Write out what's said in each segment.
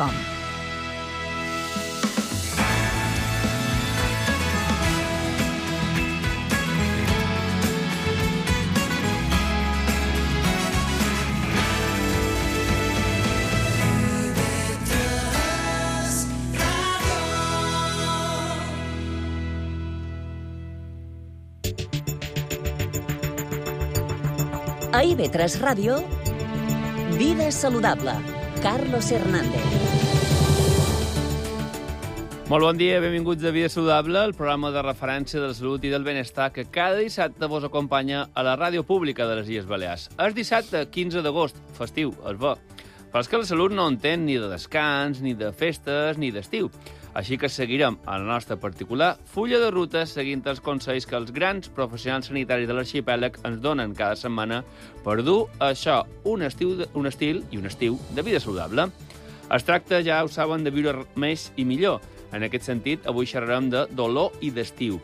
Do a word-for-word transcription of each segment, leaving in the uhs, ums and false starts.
com. A I V tres Ràdio, Vida Saludable, Carlos Hernández. Molt bon dia, benvinguts a Vida Saludable, el programa de referència de la salut i del benestar que cada dissabte vos acompanya a la ràdio pública de les Illes Balears. És dissabte quinze d'agost, festiu, es va. Però és que la salut no entén ni de descans, ni de festes, ni d'estiu. Així que seguirem a la nostra particular fulla de ruta seguint els consells que els grans professionals sanitaris de l'arxipèlag ens donen cada setmana per dur a això un, estiu, un estil i un estiu de vida saludable. Es tracta, ja ho saben, de viure més i millor. En aquest sentit, avui xerrarem de dolor i d'estiu.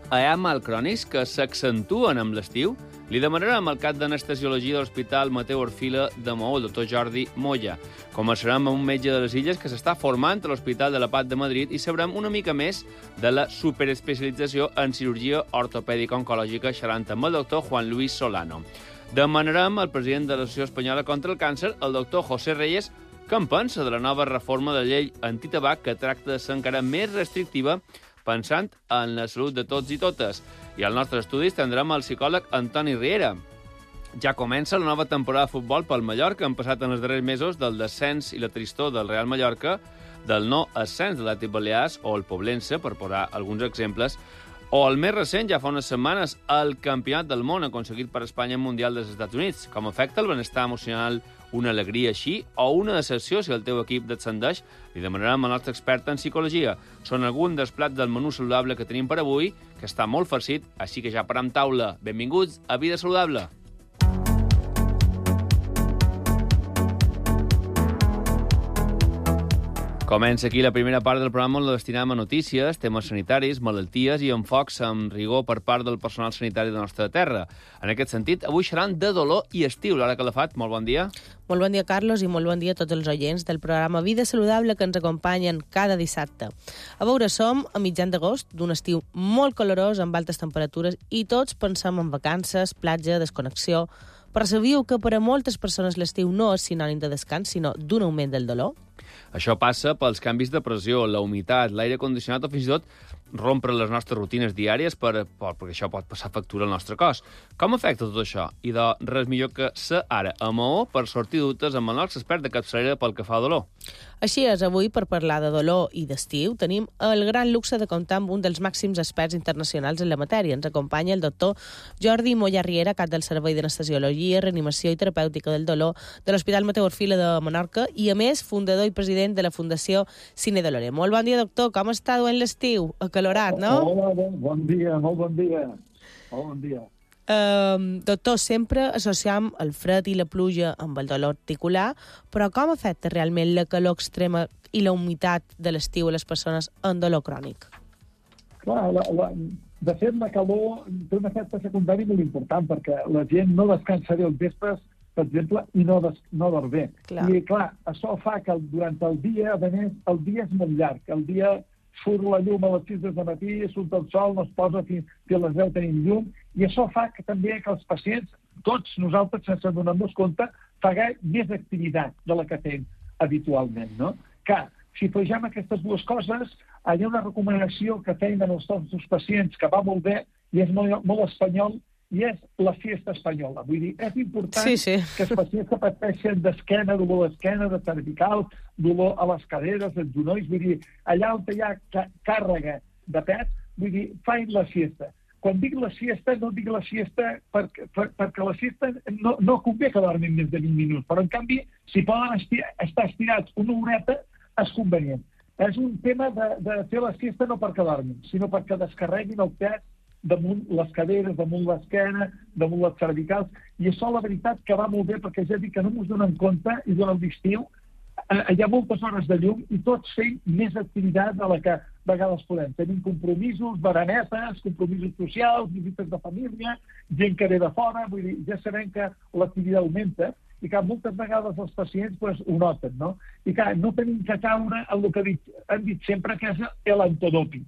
Hi ha mal crònics que s'accentuen amb l'estiu? Li demanarem al cap d'anestesiologia de l'Hospital Mateu Orfila de Maó, el doctor Jordi Moya. Començarem amb un metge de les Illes que s'està formant a l'Hospital de la Paz de Madrid i sabrem una mica més de la superespecialització en cirurgia ortopèdica oncològica xerrant amb el doctor Juan Luis Solano. Demanarem al president de l'Associació Espanyola contra el Càncer, el doctor José Reyes, què en pensa de la nova reforma de la llei antitabac que tracta de ser encara més restrictiva pensant en la salut de tots i totes. I al nostre estudi tindrem el psicòleg Antoni Riera. Ja comença la nova temporada de futbol pel Mallorca. Han passat en els darrers mesos del descens i la tristor del Real Mallorca, del no ascens de l'Atlètic Balears o el Poblense, per posar alguns exemples, o el més recent, ja fa unes setmanes, el Campionat del Món aconseguit per Espanya en Mundial dels Estats Units. Com afecta el benestar emocional una alegria així o una decepció si el teu equip descendeix? Li demanarem al nostre expert en psicologia. Són alguns dels plats del menú saludable que tenim per avui, que està molt farcit, així que ja param taula. Benvinguts a Vida Saludable. Comença aquí la primera part del programa on la destinem a notícies, temes sanitaris, malalties i enfocs amb rigor per part del personal sanitari de la nostra terra. En aquest sentit, avui xerran de dolor i estiu. Laura Calafat, molt bon dia. Molt bon dia, Carlos, i molt bon dia a tots els oients del programa Vida Saludable que ens acompanyen cada dissabte. A veure, som a mitjan d'agost, d'un estiu molt calorós, amb altes temperatures, i tots pensem en vacances, platja, desconnexió. Però sabíeu que per a moltes persones l'estiu no és sinònim de descans, sinó d'un augment del dolor? Això passa pels canvis de pressió, la humitat, l'aire condicionat o fins i tot rompre les nostres rutines diàries per, per, perquè això pot passar factura al nostre cos. Com afecta tot això? I de res millor que ser ara a Maó per sortir dubtes amb el nostre expert de capçalera pel que fa a dolor. Així és, avui, per parlar de dolor i d'estiu, tenim el gran luxe de comptar amb un dels màxims experts internacionals en la matèria. Ens acompanya el doctor Jordi Moya Riera, cap del Servei d'Anestesiologia, Reanimació i Terapèutica del Dolor de l'Hospital Mateu Orfila de Menorca i, a més, fundador i president de la Fundació Cine Dolore. Molt bon dia, doctor. Com està duent l'estiu? Acalorat, no? Hola, bon, bon dia, molt bon dia. Molt bon dia. Uh, doctor, sempre associam el fred i la pluja amb el dolor articular, però com afecta realment la calor extrema i la humitat de l'estiu a les persones amb dolor crònic? Clar, la, la, de fet, la calor té un efecte secundari molt important, perquè la gent no descansa bé els vespres, per exemple, i no, des, no dorm bé. Clar. I, clar, això fa que durant el dia, a més, el dia és molt llarg. El dia surt la llum a les sis del matí, surt el sol, no es posa fins, fins a les deu tenim llum, i això fa que també que els pacients, tots nosaltres, sense donar-nos compte, paguem més activitat de la que fem habitualment, no? Que, si afegim aquestes dues coses, hi ha una recomanació que feien els nostres pacients que va molt bé i és molt, molt espanyol, i és la siesta espanyola. Vull dir, és important sí, sí. que els pacients que pateixen d'esquena, dolor d'esquena, de cervical, dolor a les caderes, als genolls, vull dir, allà on hi ha càrrega de pes, vull dir, fain la siesta. Quan dic la siesta, no dic la siesta perquè, per, perquè la siesta no, no convé que dormin més de vint minuts, però en canvi, si poden esti estar estirats una horeta, és convenient. És un tema de, de fer la siesta no perquè dormin, sinó perquè descarreguin el pes damunt les caderes, damunt l'esquena, damunt les cervicals, i això la veritat que va molt bé, perquè ja dic que no ens donen compte, i durant l'estiu eh, hi ha moltes hores de llum i tots fem més activitat de la que a vegades podem. Tenim compromisos, baranetes, compromisos socials, visites de família, gent que ve de fora, vull dir, ja sabem que l'activitat augmenta, i que moltes vegades els pacients pues, ho noten, no? I que no tenim que caure en el que dit, han dit sempre, que és l'antodoping.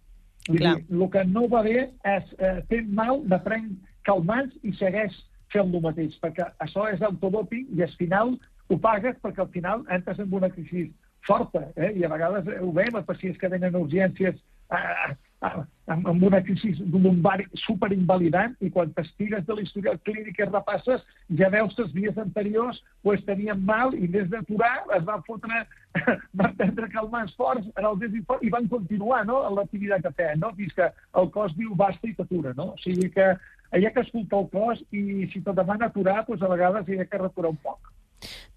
Vull dir, el que no va bé és eh, fer mal, de prenc calmants i segueix fent el mateix, perquè això és autodoping i al final ho pagues perquè al final entres en una crisi forta, eh? I a vegades ho veiem a pacients que venen a urgències eh, amb una crisi lumbari superinvalidant i quan t'estires de l'historial clínic i repasses ja veus que els dies anteriors pues, tenien mal i més d'aturar es van fotre, van prendre calmants forts en el desinfort i van continuar no, en l'activitat que feien, no? Fins que el cos diu basta i t'atura. No? O sigui que hi ha que escoltar el cos i si te demana aturar, pues, a vegades hi ha que returar un poc.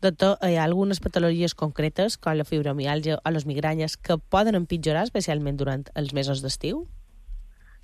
Doctor, hi ha algunes patologies concretes, com la fibromiàlgia o les migranyes, que poden empitjorar especialment durant els mesos d'estiu?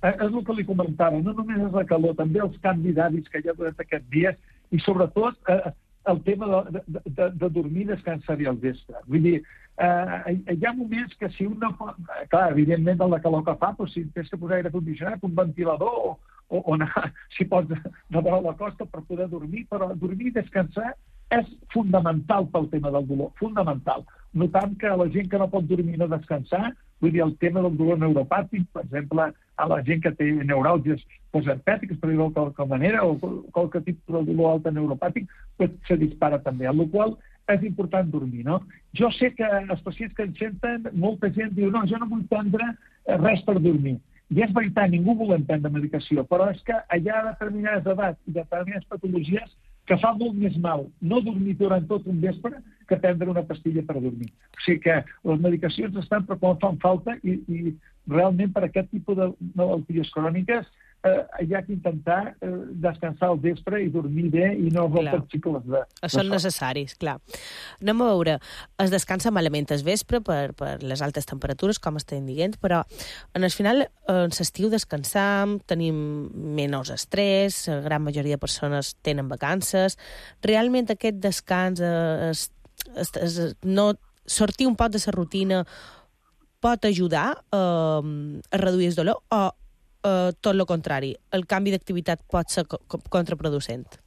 Eh, és el que li comentava, no només és la calor, també els canvis d'hàbits que hi ha durant aquests dies i sobretot eh, el tema de, de, de, de dormir i descansar bé al vespre. Vull dir, eh, hi ha moments que si un no pot... Clar, evidentment, de la calor que fa, doncs, si tens que posar aire condicionat, un ventilador o, o, o anar, si pots, de vora la costa per poder dormir, però dormir i descansar és fundamental pel tema del dolor, fundamental. Notant que la gent que no pot dormir i no descansar, vull dir, el tema del dolor neuropàtic, per exemple, a la gent que té neuràlgies posherpètiques, per dir-ho de qualque manera, o qualque tipus de dolor alta neuropàtic, pues, se dispara també, amb la qual és important dormir, no? Jo sé que els pacients que ens senten, molta gent diu, no, jo no vull prendre res per dormir. I és veritat, ningú volem prendre medicació, però és que hi ha determinades edats i determinades patologies que fa molt més mal no dormir durant tot un vespre que prendre una pastilla per dormir. O sigui que les medicacions estan per quan fan falta i, i realment per aquest tipus de malalties cròniques eh, hi ha que intentar eh, descansar al vespre i dormir bé i no rompre cicles de, de Són necessaris, clar. Anem a veure, es descansa malament al vespre per, per les altes temperatures, com estem dient, però en el final, en l'estiu descansam, tenim menys estrès, la gran majoria de persones tenen vacances. Realment aquest descans, es, es, es, no, sortir un poc de la rutina pot ajudar eh, a reduir el dolor o Uh, tot el contrari, el canvi d'activitat pot ser co contraproducent?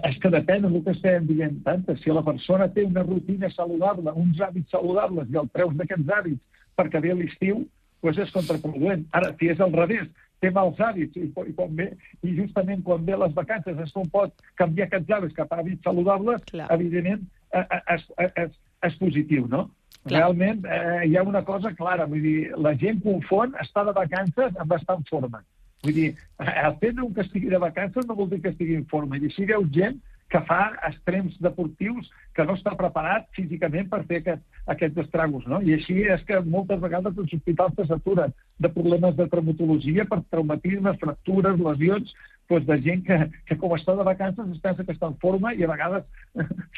És que depèn del que estem dient tant. Si la persona té una rutina saludable, uns hàbits saludables i el treus d'aquests hàbits perquè ve l'estiu, doncs és contraproduent. Ara, si és al revés, té mals hàbits i, i, quan ve, i justament quan ve les vacances es pot canviar aquests hàbits cap a hàbits saludables, Clar. evidentment és, és, és positiu, no? Clar. Realment eh, hi ha una cosa clara, vull dir, la gent confon estar de vacances amb estar en forma. Vull dir, el fet que estigui de vacances no vol dir que estigui en forma. I així veu gent que fa extrems deportius que no està preparat físicament per fer aquest, aquests estragos, no? I així és que moltes vegades els hospitals s'aturen de problemes de traumatologia per traumatismes, fractures, lesions, doncs de gent que, que com està de vacances es pensa que està en forma i a vegades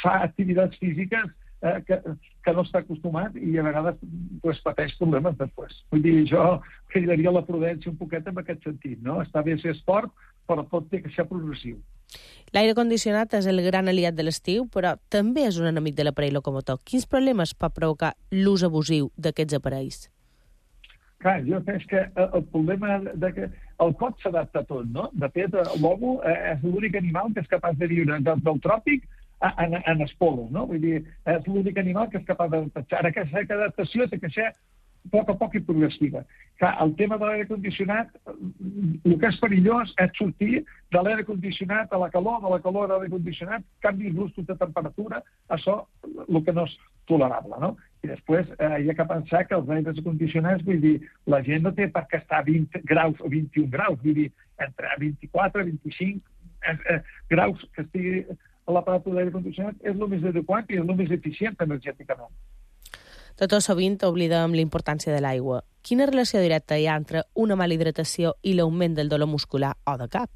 fa activitats físiques Eh, que, que no està acostumat i a vegades pues, pateix problemes després. Vull dir, jo cridaria la prudència un poquet en aquest sentit, no? Està bé ser esport, però tot té que ser progressiu. L'aire condicionat és el gran aliat de l'estiu, però també és un enemic de l'aparell locomotor. Quins problemes pot provocar l'ús abusiu d'aquests aparells? Clar, jo penso que el problema de que el cos s'adapta a tot, no? De fet, l'homo és l'únic animal que és capaç de viure del, del tròpic en, en els polos, no? Vull dir, és l'únic animal que és capaç d'adaptar. Ara, aquesta adaptació té que ser a poc a poc i progressiva. Clar, el tema de l'aire condicionat, el que és perillós és sortir de l'aire condicionat a la calor, de la calor a l'aire condicionat, canvis bruscos de temperatura, això el que no és tolerable, no? I després eh, hi ha que pensar que els aires condicionats, vull dir, la gent no té per què estar a vint graus o vint-i-un graus, vull dir, entre vint-i-quatre i vint-i-cinc eh, eh, graus que estigui a l'aparato d'aire condicionat és el més adequat i és el més eficient energèticament. Tot sovint oblidem la importància de l'aigua. Quina relació directa hi ha entre una mala hidratació i l'augment del dolor muscular o de cap?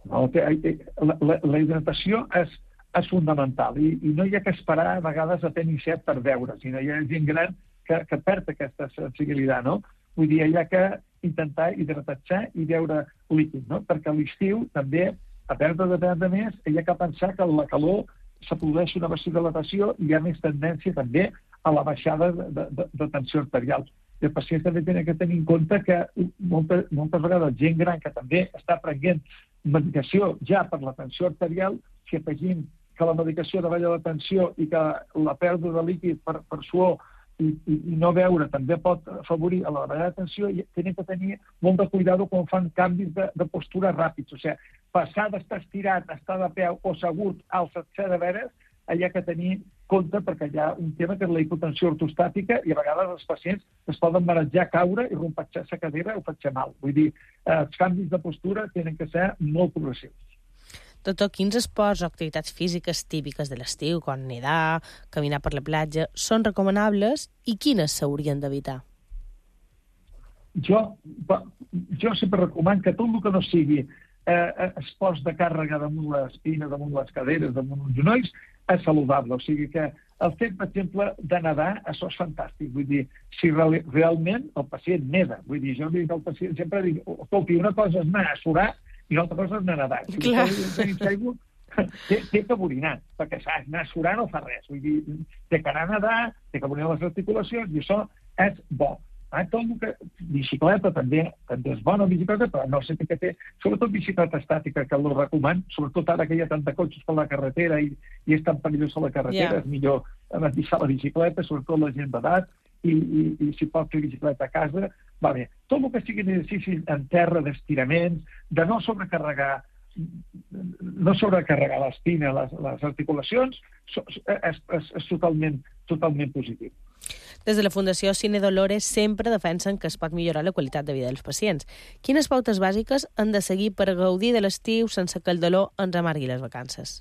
No, la, la, la hidratació és, és fundamental i, i no hi ha que esperar a vegades a tenir set per beure, sinó hi ha gent gran que, que perd aquesta sensibilitat, no? Vull dir, hi ha que intentar hidratar-se i beure líquid, no? Perquè a l'estiu també, a perdre de perdre més, hi ha que pensar que la calor se produeix una vasodilatació i hi ha més tendència també a la baixada de, de, de tensió arterial. I els pacients també tenen que tenir en compte que moltes, moltes vegades gent gran que també està prenent medicació ja per la tensió arterial, si afegim que la medicació davalla la tensió i que la pèrdua de líquid per, per suor i, i, i no beure també pot afavorir a la davallada de tensió, i tenen que tenir molt de cuidado quan fan canvis de, de postura ràpids. O sigui, passar d'estar estirat a estar de peu o assegut al setzer de veres, allà que tenir compte, perquè hi ha un tema que és la hipotensió ortostàtica i a vegades els pacients es poden marejar, caure i rompatxar la cadira o fer mal. Vull dir, els canvis de postura tenen que ser molt progressius. Doctor, quins esports o activitats físiques típiques de l'estiu, com nedar, caminar per la platja, són recomanables i quines s'haurien d'evitar? Jo, jo sempre recomano que tot el que no sigui eh, esports de càrrega damunt l'espina, damunt les caderes, damunt els genolls, és saludable. O sigui que el fet, per exemple, de nedar, això és fantàstic. Vull dir, si real, realment el pacient neda, vull dir, jo dic al pacient, sempre dic, escolti, una cosa és anar a surar i l'altra cosa és anar a nedar. Si Clar. té, té que borinar, perquè saps, anar a surar no fa res. Vull dir, té que anar a nedar, té que borinar les articulacions, i això és bo. Ah, tot el que... Bicicleta també, també és bona, bicicleta, però no sé què té. Sobretot bicicleta estàtica, que el recomano, sobretot ara que hi ha tant de cotxes per la carretera i, i és tan perillós a la carretera, yeah. És millor deixar la bicicleta, sobretot la gent d'edat, i, i, i si pot fer bicicleta a casa, va bé. Tot el que sigui exercici en terra, d'estiraments, de no sobrecarregar no sobrecarregar l'espina, les, les articulacions, és, és, és totalment, totalment positiu. Des de la Fundació Cine Dolores sempre defensen que es pot millorar la qualitat de vida dels pacients. Quines pautes bàsiques han de seguir per gaudir de l'estiu sense que el dolor ens amargui les vacances?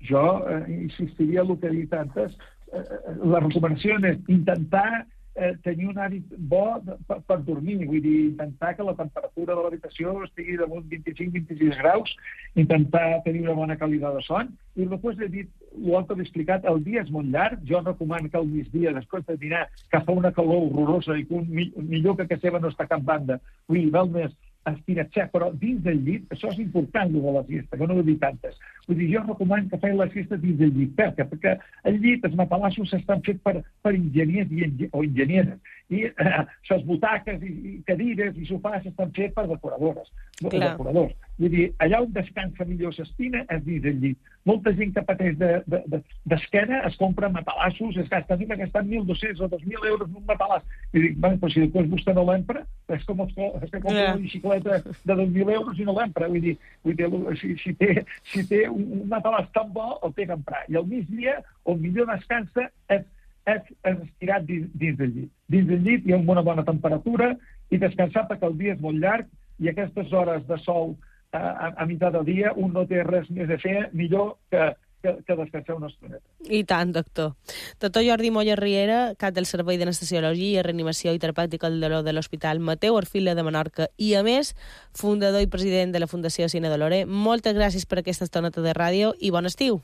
Jo eh, insistiria en el que he dit antes. Eh, la recomanació és intentar eh, tenir un hàbit bo de, per, per dormir. Vull dir, intentar que la temperatura de l'habitació estigui damunt vint-i-cinc vint-i-sis graus, intentar tenir una bona qualitat de son. I després he dit, l'altre he explicat, el dia és molt llarg. Jo recomano que al migdia, després de dinar, que fa una calor horrorosa i que un, millor que casa seva no està a cap banda, vull dir, val més estirar-se, però dins del llit, això és important, el de la siesta, que no ho he dit tantes. Vull dir, jo recomano que feien la siesta dins del llit. Per què? Perquè el llit, els matalassos estan fets per, per enginyers i engi o enginyeres. I eh, les butaques i, i cadires i sofàs estan fets per decoradores. decoradors. Vull dir, allà on descansa millor l'espina és dins del llit. Molta gent que pateix d'esquena de, de, es compra matalassos, es gasta, que gastant mil dos-cents o dos mil euros en un matalàs. I dic, bueno, però si després vostè no l'empra, és com els que compra yeah. una bicicleta de dos mil euros i no l'empra. Vull dir, vull dir si, si, té, si té un, un matalàs tan bo, el té que emprar. I al migdia, on millor descansa, és, és, és estirat dins, dins del llit. Dins del llit hi ha una bona temperatura i descansar perquè el dia és molt llarg i aquestes hores de sol a, a meitat del dia un no té res més a fer millor que, que, que descansar una estoneta. I tant, doctor. Doctor Jordi Moya Riera, cap del Servei d'Anestesiologia, Reanimació i Terapèutica del Dolor de l'Hospital Mateu Orfila de Menorca i, a més, fundador i president de la Fundació Cine Dolores. Moltes gràcies per aquesta estoneta de ràdio i bon estiu.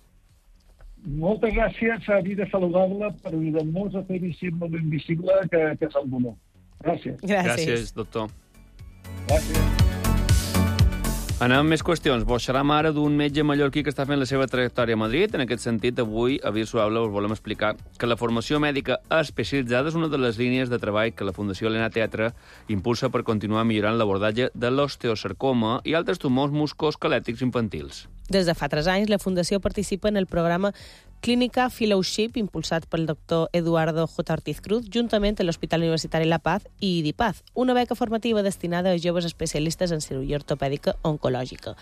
Moltes gràcies a Vida Saludable per ajudar-nos a fer visible l'invisible que, que és el dolor. Gràcies. Gràcies. Gràcies, doctor. Gràcies. Anem amb més qüestions. Vos xerram ara d'un metge mallorquí que està fent la seva trajectòria a Madrid. En aquest sentit, avui, a Vida Saludable, us volem explicar que la formació mèdica especialitzada és una de les línies de treball que la Fundació Elena Teatre impulsa per continuar millorant l'abordatge de l'osteosarcoma i altres tumors musculoesquelètics infantils. Des de fa tres anys, la Fundació participa en el programa Clínica Fellowship, impulsat pel doctor Eduardo J. Ortiz Cruz, juntament amb l'Hospital Universitari La Paz i DIPAZ, una beca formativa destinada a joves especialistes en cirurgia ortopèdica oncològica.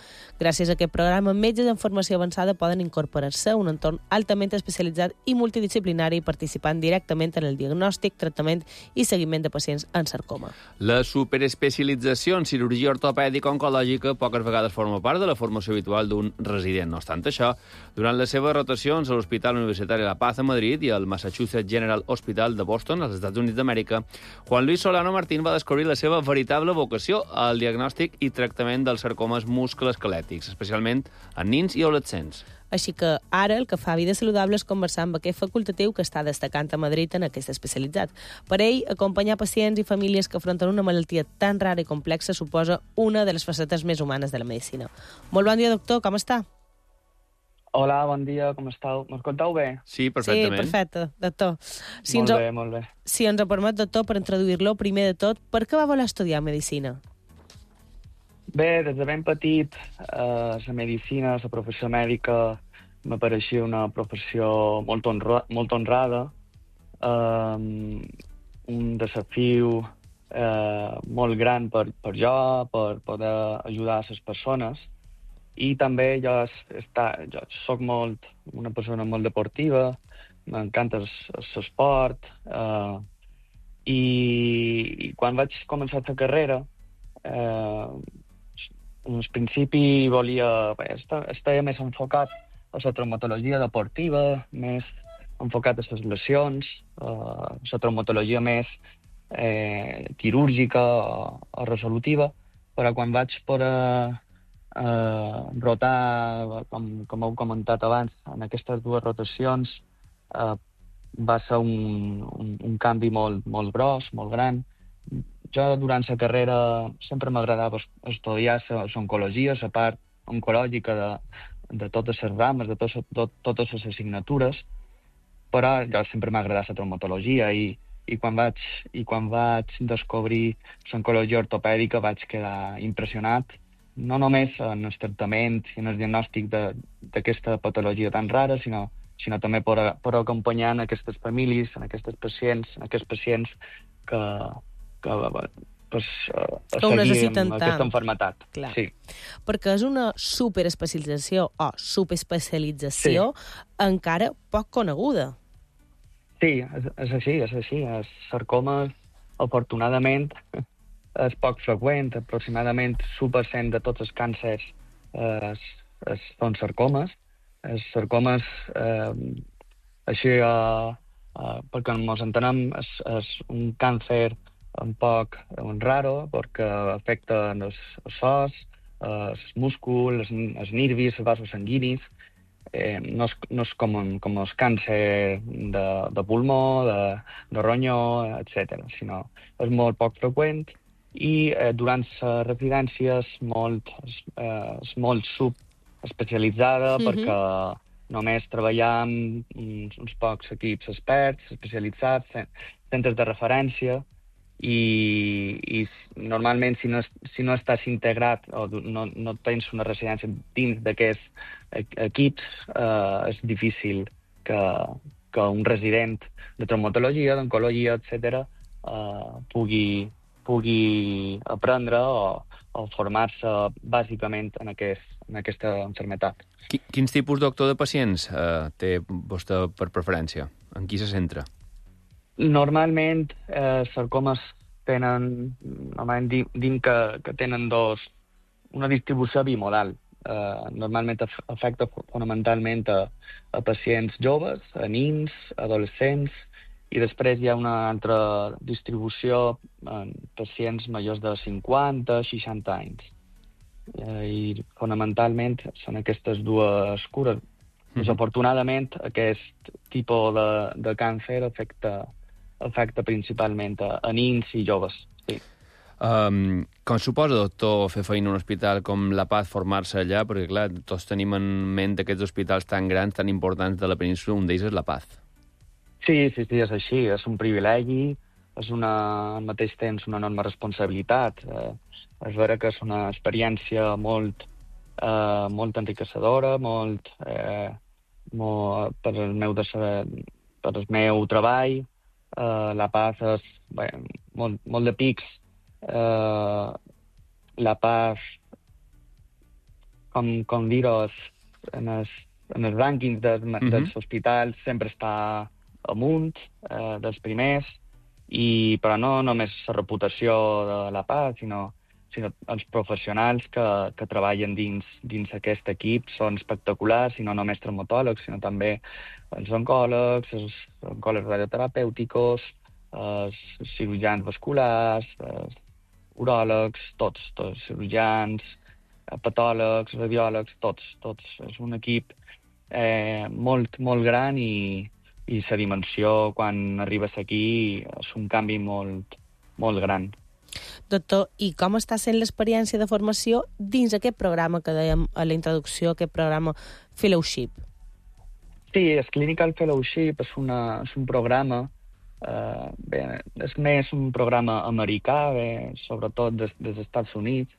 Gràcies a aquest programa, metges en formació avançada poden incorporar-se a un entorn altament especialitzat i multidisciplinari, participant directament en el diagnòstic, tractament i seguiment de pacients amb sarcoma. La superespecialització en cirurgia ortopèdica oncològica poques vegades forma part de la formació habitual d'un resident. No obstant això, durant les seves rotacions a l'Hospital Universitari La Paz a Madrid i al Massachusetts General Hospital de Boston, als Estats Units d'Amèrica, Juan Luis Solano Martín va descobrir la seva veritable vocació al diagnòstic i tractament dels sarcomes musculoesquelètics, especialment en nins i adolescents. Així que ara el que fa Vida Saludable és conversar amb aquest facultatiu que està destacant a Madrid en aquest especialitzat. Per ell, acompanyar pacients i famílies que afronten una malaltia tan rara i complexa suposa una de les facetes més humanes de la medicina. Molt bon dia, doctor, com està? Hola, bon dia, com esteu? M'escolteu bé? Sí, perfectament. Sí, perfecte, doctor. Si molt ens, bé, molt bé. Si ens ho permet, doctor, per introduir-lo, primer de tot, per què va voler estudiar medicina? Bé, des de ben petit, eh, la medicina, la professió mèdica, m'apareixia una professió molt, honra, molt honrada, eh, un desafiu eh, molt gran per, per jo, per poder ajudar a les persones. I també jo, està, jo soc molt, una persona molt deportiva, m'encanta l'esport, eh, i, i quan vaig començar la carrera, eh, en principi volia, bé, estava més enfocat a la traumatologia deportiva, més enfocat a les lesions, a la traumatologia més eh, quirúrgica o, o resolutiva, però quan vaig poder eh, rotar, com, com heu comentat abans, en aquestes dues rotacions, eh, va ser un, un, un canvi molt, molt gros, molt gran. Jo, durant la carrera, sempre m'agradava estudiar l'oncologia, la part oncològica de, de totes les rames, de, tos, de totes les assignatures, però jo sempre m'ha agradat la traumatologia i, i, quan vaig, i quan vaig descobrir l'oncologia ortopèdica vaig quedar impressionat, no només en el tractament i en el diagnòstic d'aquesta patologia tan rara, sinó, sinó també per, per acompanyar en aquestes famílies, en aquests pacients, en aquests pacients que, que pues, uh, que ho necessiten tant. Aquesta malaltia. Clar. Sí. Perquè és una superespecialització o subespecialització sí. encara poc coneguda. Sí, és, és així, és així. Els sarcomes, afortunadament, és poc freqüent. Aproximadament l'u per cent de tots els càncers eh, es, es, són sarcomes. Els sarcomes, eh, així, eh, eh, perquè ens entenem, és, és un càncer un poc un raro, perquè afecta els, els os, els músculs, els, els nervis, els vasos sanguinis. Eh, no, és, no és com, un, com el càncer de, de pulmó, de, de ronyó, etcètera, sinó és molt poc freqüent i eh, durant la residència és molt, és, eh, és molt subespecialitzada mm-hmm. perquè només treballar amb uns, uns pocs equips experts, especialitzats, centres de referència, i, i normalment si no, si no estàs integrat o no, no tens una residència dins d'aquests equips, eh, és difícil que, que un resident de traumatologia, d'oncologia, etcètera, eh, pugui, pugui aprendre o, o formar-se bàsicament en, aquest, en aquesta malaltia. Quins tipus doctor de pacients eh, té vostè per preferència? En qui se centra? Normalment, eh, sarcomes tenen, normalment dim que, que tenen dos, una distribució bimodal. Eh, normalment afecta fonamentalment a, a pacients joves, a nins, adolescents, i després hi ha una altra distribució en pacients majors de cinquanta, seixanta anys. Eh, I fonamentalment són aquestes dues cures. Mm-hmm. Desafortunadament, aquest tipus de, de càncer afecta afecta principalment a, a nins i joves. Sí. Um, com suposa, doctor, fer feina en un hospital com La Paz, formar-se allà? Perquè, clar, tots tenim en ment aquests hospitals tan grans, tan importants de la península, un d'ells és La Paz. Sí, sí, sí, és així. És un privilegi, és una, al mateix temps una enorme responsabilitat. Eh, és vera que és una experiència molt, eh, molt enriquecedora, molt, eh, molt per, el meu de, per el meu treball. Uh, La Paz és bé, molt, molt de pics. Uh, La Paz, com, com dir-ho, en els, en els rànquings de, mm-hmm. dels hospitals sempre està amunt, uh, dels primers, i, però no només la reputació de La Paz, sinó, sinó els professionals que, que treballen dins, dins aquest equip són espectaculars, i no només traumatòlegs, sinó també els oncòlegs, els oncòlegs radioterapèuticos, els cirurgians vasculars, els uròlegs, tots, tots, cirurgians, patòlegs, radiòlegs, tots, tots. És un equip eh, molt, molt gran i, i la dimensió, quan arribes aquí, és un canvi molt, molt gran. Doctor, i com està sent l'experiència de formació dins aquest programa que dèiem a la introducció, aquest programa Fellowship? Sí, el Clinical Fellowship és, una, és un programa, eh, bé, és més un programa americà, bé, sobretot des, des Estats Units,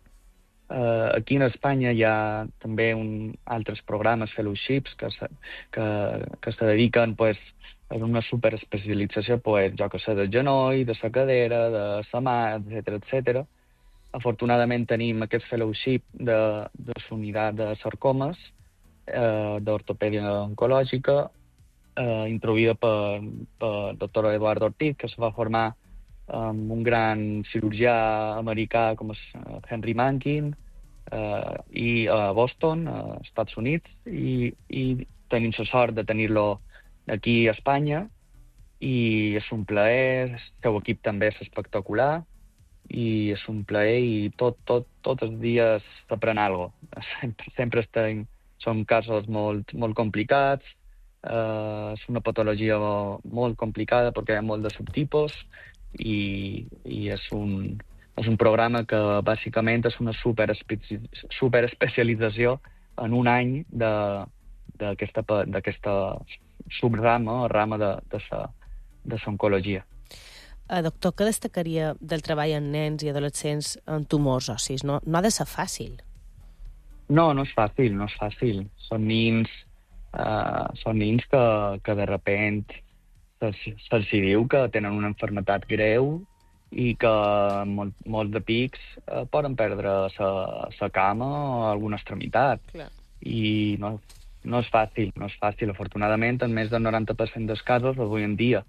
Uh, aquí en Espanya hi ha també un, altres programes, fellowships, que se, que, que se dediquen pues, a una superespecialització, pues, jo que sé, del genoll, de la cadera, de la mà, etcètera, etcètera. Afortunadament tenim aquest fellowship de, de la unitat de sarcomes, eh, d'ortopèdia oncològica, eh, introduïda per, per el doctor Eduardo Ortiz, que se va formar amb un gran cirurgià americà com és Henry Mankin, eh, i a Boston, als Estats Units, i, i tenim la sort de tenir-lo aquí a Espanya, i és un plaer, el seu equip també és espectacular, i és un plaer, i tot, tot, tots els dies s'aprèn alguna cosa. Sempre, sempre estem, són casos molt, molt complicats, eh, és una patologia molt complicada perquè hi ha molt de subtipus, i, i és, un, és un programa que bàsicament és una superespecialització en un any d'aquesta subrama, rama de, de sa, de l'oncologia. Uh, doctor, què destacaria del treball en nens i adolescents amb tumors ossis? No, no ha de ser fàcil. No, no és fàcil, no és fàcil. Són nins, uh, són nins que, que de repent se'ls diu que tenen una malaltia greu i que molt, molts de pics eh, poden perdre la cama o alguna extremitat. Clar. I no, no és fàcil, no és fàcil. Afortunadament, en més del noranta per cent dels casos, avui en dia,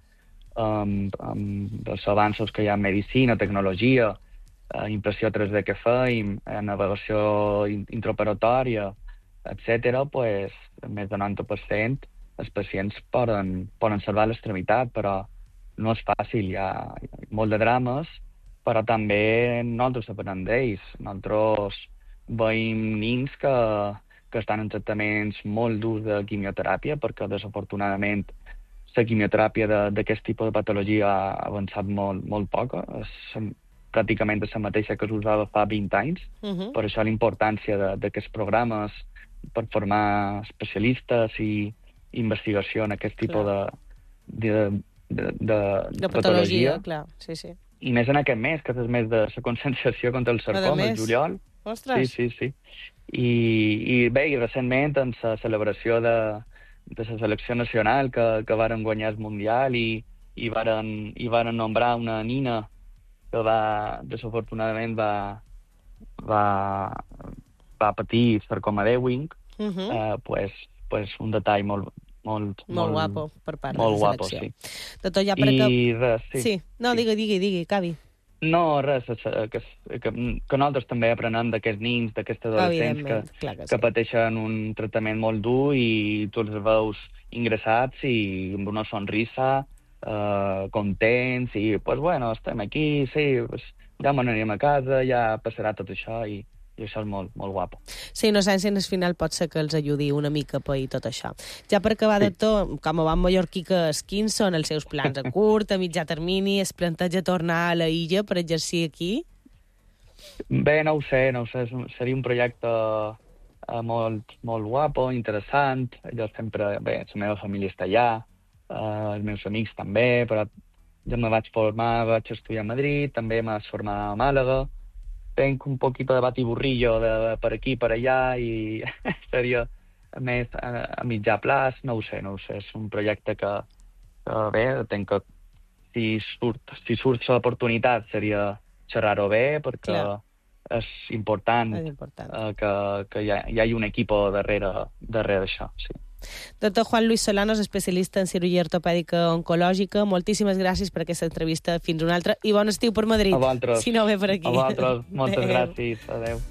amb, amb els avanços que hi ha en medicina, tecnologia, eh, impressió tres D que feim, eh, navegació intraoperatòria, etcètera, pues, més del noranta per cent els pacients poden, poden salvar l'extremitat, però no és fàcil. Hi ha, hi ha molt de drames, però també nosaltres aprenem d'ells. Nosaltres veiem nins que, que estan en tractaments molt durs de quimioteràpia, perquè desafortunadament la quimioteràpia d'aquest tipus de patologia ha avançat molt, molt poc. És pràcticament la mateixa que s'usava fa vint anys. Uh-huh. Per això la importància d'aquests programes per formar especialistes i investigació en aquest tipus de, de, de, de, de patologia. Clar, sí, sí. I més en aquest mes, que és el mes de la conscienciació contra el sarcoma, el juliol. Ostres! Sí, sí, sí. I, i bé, i recentment, en la celebració de, de la selecció nacional que, que varen guanyar el Mundial i, i, varen, i varen nombrar una nina que va, desafortunadament, va, va, va patir sarcoma d'Ewing, uh-huh. eh, pues, pues un detall molt, molt, molt, molt guapo per part molt de la selecció. Guapo, sí. Doctor, ja per I cap... res, sí. Sí, no, sí. digui, digui, digui, acabi. No, res, que, que, que nosaltres també aprenem d'aquests nins, d'aquests adolescents que, Clar que, que sí. pateixen un tractament molt dur i tu els veus ingressats i amb una sonrisa, eh, contents, i, pues, bueno, estem aquí, sí, pues, ja m'anirem a casa, ja passarà tot això, i i això és molt, molt guapo. Sí, innocència en el final pot ser que els ajudi una mica a pair tot això. Ja per acabar, sí. Doctor, com a bon mallorquí que és, quins són els seus plans a curt, a mitjà termini? Es planteja tornar a la illa per exercir aquí? Bé, no ho sé, no ho sé. Seria un projecte eh, molt, molt guapo, interessant. Jo sempre, bé, la meva família està allà, eh, els meus amics també, però jo me vaig formar, vaig estudiar a Madrid, també m'vaig formar a Màlaga. Tenc un poquito de batiburrillo de, de per aquí, per allà, i seria més a, a mitjà plaç, no ho sé, no ho sé. És un projecte que, que bé, tenc que, si surt, si surt l'oportunitat seria xerrar-ho bé, perquè Clar. és important, és important. Eh, que, que hi, ha, hi hagi un equip darrere, darrere d'això, sí. Doctor Juan Luis Solanos, especialista en cirurgia ortopèdica oncològica, moltíssimes gràcies per aquesta entrevista. Fins una altra. I bon estiu per Madrid. A vosaltres. Si no ve per aquí. A vosaltres. Moltes Adeu. gràcies. Adéu.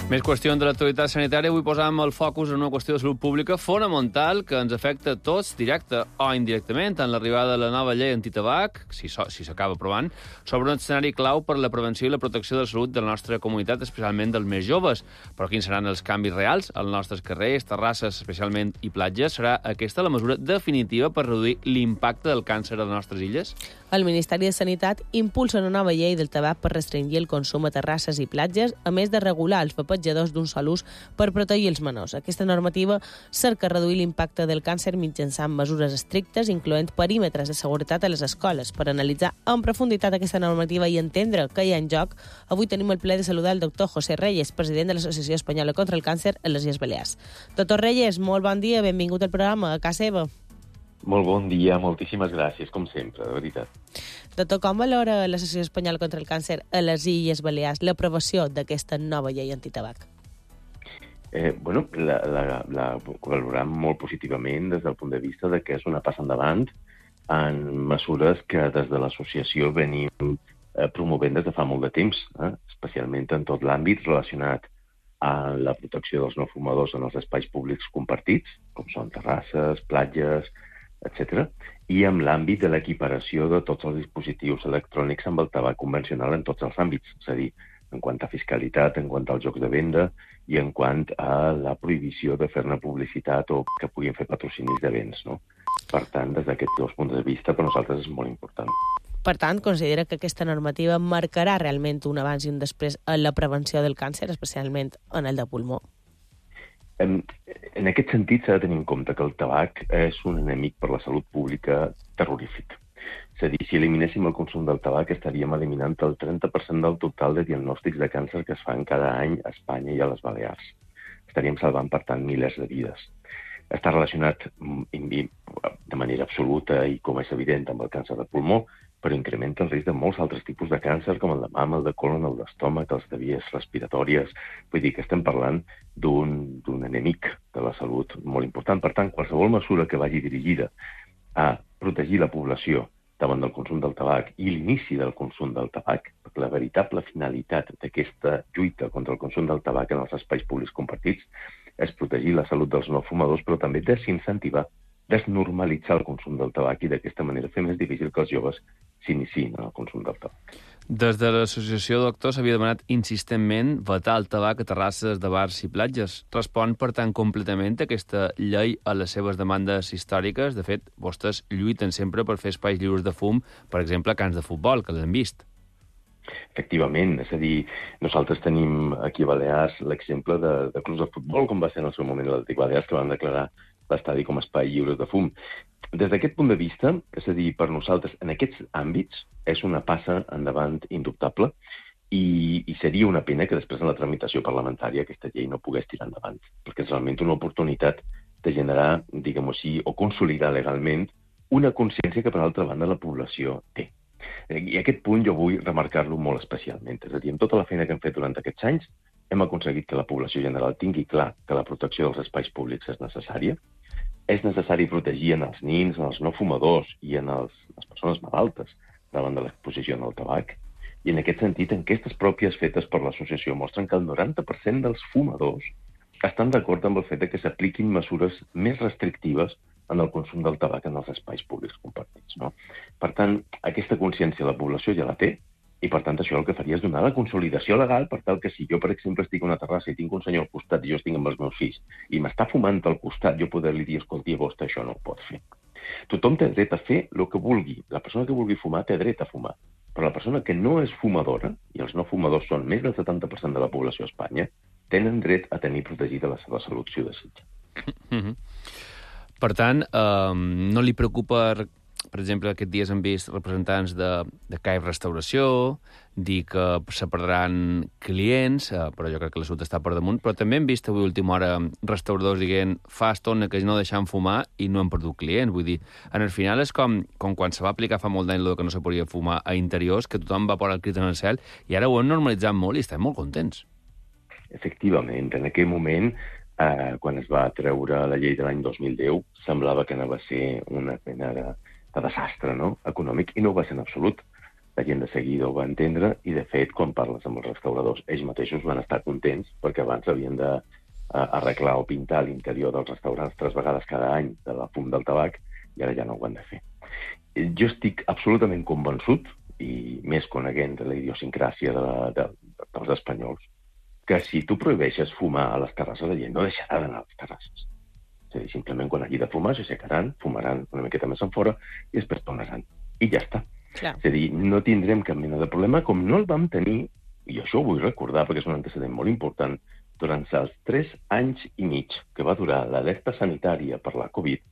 Més qüestions de l'actualitat sanitària. Avui posam el focus en una qüestió de salut pública fonamental que ens afecta a tots, directe o indirectament, en l'arribada de la nova llei antitabac, si si s'acaba aprovant, sobre un escenari clau per la prevenció i la protecció de la salut de la nostra comunitat, especialment dels més joves. Però quins seran els canvis reals als nostres carrers, terrasses, especialment, i platges? Serà aquesta la mesura definitiva per reduir l'impacte del càncer a les nostres illes? El Ministeri de Sanitat impulsa una nova llei del tabac per restringir el consum a terrasses i platges, a més de regular els vapors petjadors d'un sol ús per protegir els menors. Aquesta normativa cerca reduir l'impacte del càncer mitjançant mesures estrictes, incloent perímetres de seguretat a les escoles. Per analitzar en profunditat aquesta normativa i entendre què hi ha en joc, avui tenim el plaer de saludar el doctor José Reyes, president de l'Associació Espanyola contra el Càncer a les Illes Balears. Doctor Reyes, molt bon dia, benvingut al programa a casa seva. Molt bon dia, moltíssimes gràcies, com sempre, de veritat. Doctor, com valora l'Associació Espanyola contra el Càncer a les Illes Balears l'aprovació d'aquesta nova llei antitabac? Eh, bueno, la, la, la valorem molt positivament des del punt de vista de que és una passa endavant en mesures que des de l'associació venim eh, promovent des de fa molt de temps, eh? especialment en tot l'àmbit relacionat a la protecció dels no fumadors en els espais públics compartits, com són terrasses, platges, etcètera, i amb l'àmbit de l'equiparació de tots els dispositius electrònics amb el tabac convencional en tots els àmbits, és a dir, en quant a fiscalitat, en quant als jocs de venda i en quant a la prohibició de fer-ne publicitat o que puguin fer patrocinis de béns, no? Per tant, des d'aquests dos punts de vista, per nosaltres és molt important. Per tant, considera que aquesta normativa marcarà realment un abans i un després en la prevenció del càncer, especialment en el de pulmó? En, en aquest sentit, s'ha de tenir en compte que el tabac és un enemic per la salut pública terrorífic. És a dir, si eliminéssim el consum del tabac, estaríem eliminant el trenta per cent del total de diagnòstics de càncer que es fan cada any a Espanya i a les Balears. Estaríem salvant, per tant, milers de vides. Està relacionat de manera absoluta i, com és evident, amb el càncer de pulmó, però incrementa el risc de molts altres tipus de càncer, com el de mama, el de colon, el d'estómac, els de vies respiratòries. Vull dir que estem parlant d'un d'un enemic de la salut molt important. Per tant, qualsevol mesura que vagi dirigida a protegir la població davant del consum del tabac i l'inici del consum del tabac, perquè la veritable finalitat d'aquesta lluita contra el consum del tabac en els espais públics compartits és protegir la salut dels no fumadors, però també desincentivar, desnormalitzar el consum del tabac i d'aquesta manera fer més difícil que els joves s'iniciïn en el consum del tabac. Des de l'associació, doctor, s'havia demanat insistentment vetar el tabac a terrasses de bars i platges. Respon, per tant, completament aquesta llei a les seves demandes històriques? De fet, vostès lluiten sempre per fer espais lliures de fum, per exemple, a camps de futbol, que l'hem vist. Efectivament, és a dir, nosaltres tenim aquí a Balears l'exemple de, de clubs de futbol, com va ser en el seu moment l'Atlètic Balears, que van declarar l'estadi com a espai lliure de fum. Des d'aquest punt de vista, és a dir, per nosaltres, en aquests àmbits, és una passa endavant indubtable i, i seria una pena que després en la tramitació parlamentària aquesta llei no pogués tirar endavant, perquè és realment una oportunitat de generar, diguem-ho així, o consolidar legalment una consciència que, per altra banda, la població té. I aquest punt jo vull remarcar-lo molt especialment. És a dir, amb tota la feina que hem fet durant aquests anys, hem aconseguit que la població general tingui clar que la protecció dels espais públics és necessària. És necessari protegir en els nins, en els no fumadors i en els, les persones malaltes davant de l'exposició en el tabac. I en aquest sentit, enquestes pròpies fetes per l'associació mostren que el noranta per cent dels fumadors estan d'acord amb el fet que s'apliquin mesures més restrictives en el consum del tabac en els espais públics compartits, no? Per tant, aquesta consciència la població ja la té, i per tant això el que faria és donar la consolidació legal per tal que si jo, per exemple, estic a una terrassa i tinc un senyor al costat i jo estic amb els meus fills i m'està fumant al costat, jo poder-li dir, escolti, vostè això no ho pot fer. Tothom té dret a fer el que vulgui. La persona que vulgui fumar té dret a fumar. Però la persona que no és fumadora, i els no fumadors són més del setanta per cent de la població a Espanya, tenen dret a tenir protegida la seva salut si ho desitja. Mm-hmm. Per tant, eh, no li preocupa, per exemple, aquests dies hem vist representants de, de C A I Restauració dir que se perdran clients, eh, però jo crec que l'assumpte està per damunt, però també hem vist avui a última hora restauradors dient fa estona que no deixant fumar i no han perdut clients. Vull dir, en el final és com, com quan se va aplicar fa molt d'any el que no se podia fumar a interiors, que tothom va posar el crit en el cel, i ara ho han normalitzat molt i estem molt contents. Efectivament, en aquell moment, eh, quan es va treure la llei de l'any dos mil deu, semblava que anava a ser una pena de, de desastre, no?, econòmic, i no ho va ser en absolut. La gent de seguida ho va entendre i, de fet, quan parles amb els restauradors, ells mateixos van estar contents perquè abans havien de eh, arreglar o pintar l'interior dels restaurants tres vegades cada any de la fum del tabac i ara ja no ho han de fer. Jo estic absolutament convençut, i més coneguent de la idiosincràsia de la, de, dels espanyols, que si tu prohibeixes fumar a les terrasses, la gent no deixarà d'anar a les terrasses. És a dir, simplement quan hagi de fumar s'aixecaran, fumaran una miqueta més enfora i després tornaran. I ja està. Clar. És a dir, no tindrem cap mena de problema, com no el vam tenir, i això ho vull recordar perquè és un antecedent molt important, durant els tres anys i mig que va durar l'alerta sanitària per la Covid,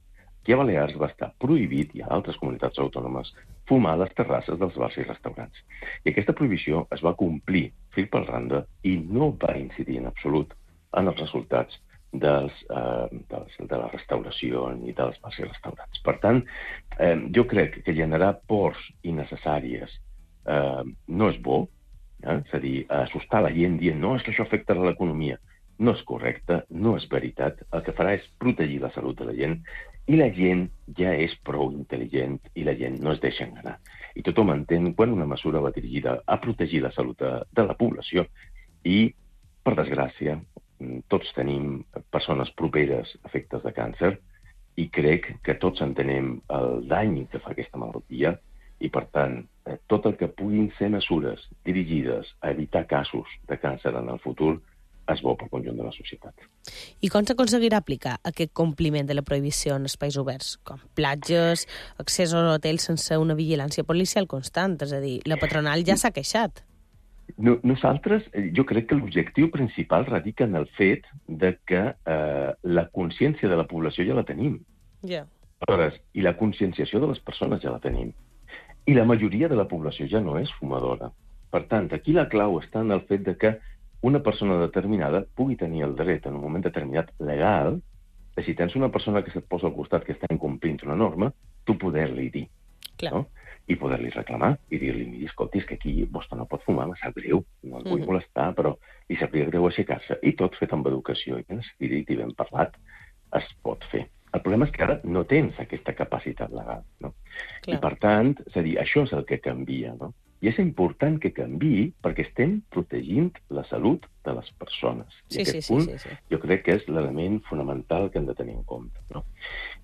aquí a Balears va estar prohibit, i a altres comunitats autònomes, fumar a les terrasses dels bars i restaurants. I aquesta prohibició es va complir fil per randa i no va incidir en absolut en els resultats dels, eh, dels, de la restauració ni dels bars i restaurants. Per tant, eh, jo crec que generar pors innecessàries eh, no és bo, eh? És a dir, assustar la gent dient no, és que això afectarà l'economia. No és correcte, no és veritat. El que farà és protegir la salut de la gent i la gent ja és prou intel·ligent i la gent no es deixa enganar. I tothom entén quan una mesura va dirigida a protegir la salut de, de la població i, per desgràcia, tots tenim persones properes afectes de càncer i crec que tots entenem el dany que fa aquesta malaltia i, per tant, tot el que puguin ser mesures dirigides a evitar casos de càncer en el futur és bo pel conjunt de la societat. I com s'aconseguirà aplicar aquest compliment de la prohibició en espais oberts, com platges, accés als hotels sense una vigilància policial constant? És a dir, la patronal ja s'ha queixat. No, nosaltres, jo crec que l'objectiu principal radica en el fet de que eh, la consciència de la població ja la tenim. Ja. Aleshores, i la conscienciació de les persones ja la tenim. I la majoria de la població ja no és fumadora. Per tant, aquí la clau està en el fet de que una persona determinada pugui tenir el dret en un moment determinat legal de si tens una persona que se't posa al costat que està incomplint una norma, tu poder-li dir. Clar. No? I poder-li reclamar i dir-li, miri, escolti, és que aquí vostè no pot fumar, me sap greu, no el vull mm-hmm. molestar, però li sabria greu aixecar-se. I tot fet amb educació i ben escrit i ben parlat es pot fer. El problema és que ara no tens aquesta capacitat legal, no? Clar. I, per tant, és a dir, això és el que canvia, no? I és important que canviï perquè estem protegint la salut de les persones. I sí, aquest sí, punt sí, sí, sí. jo crec que és l'element fonamental que hem de tenir en compte, no?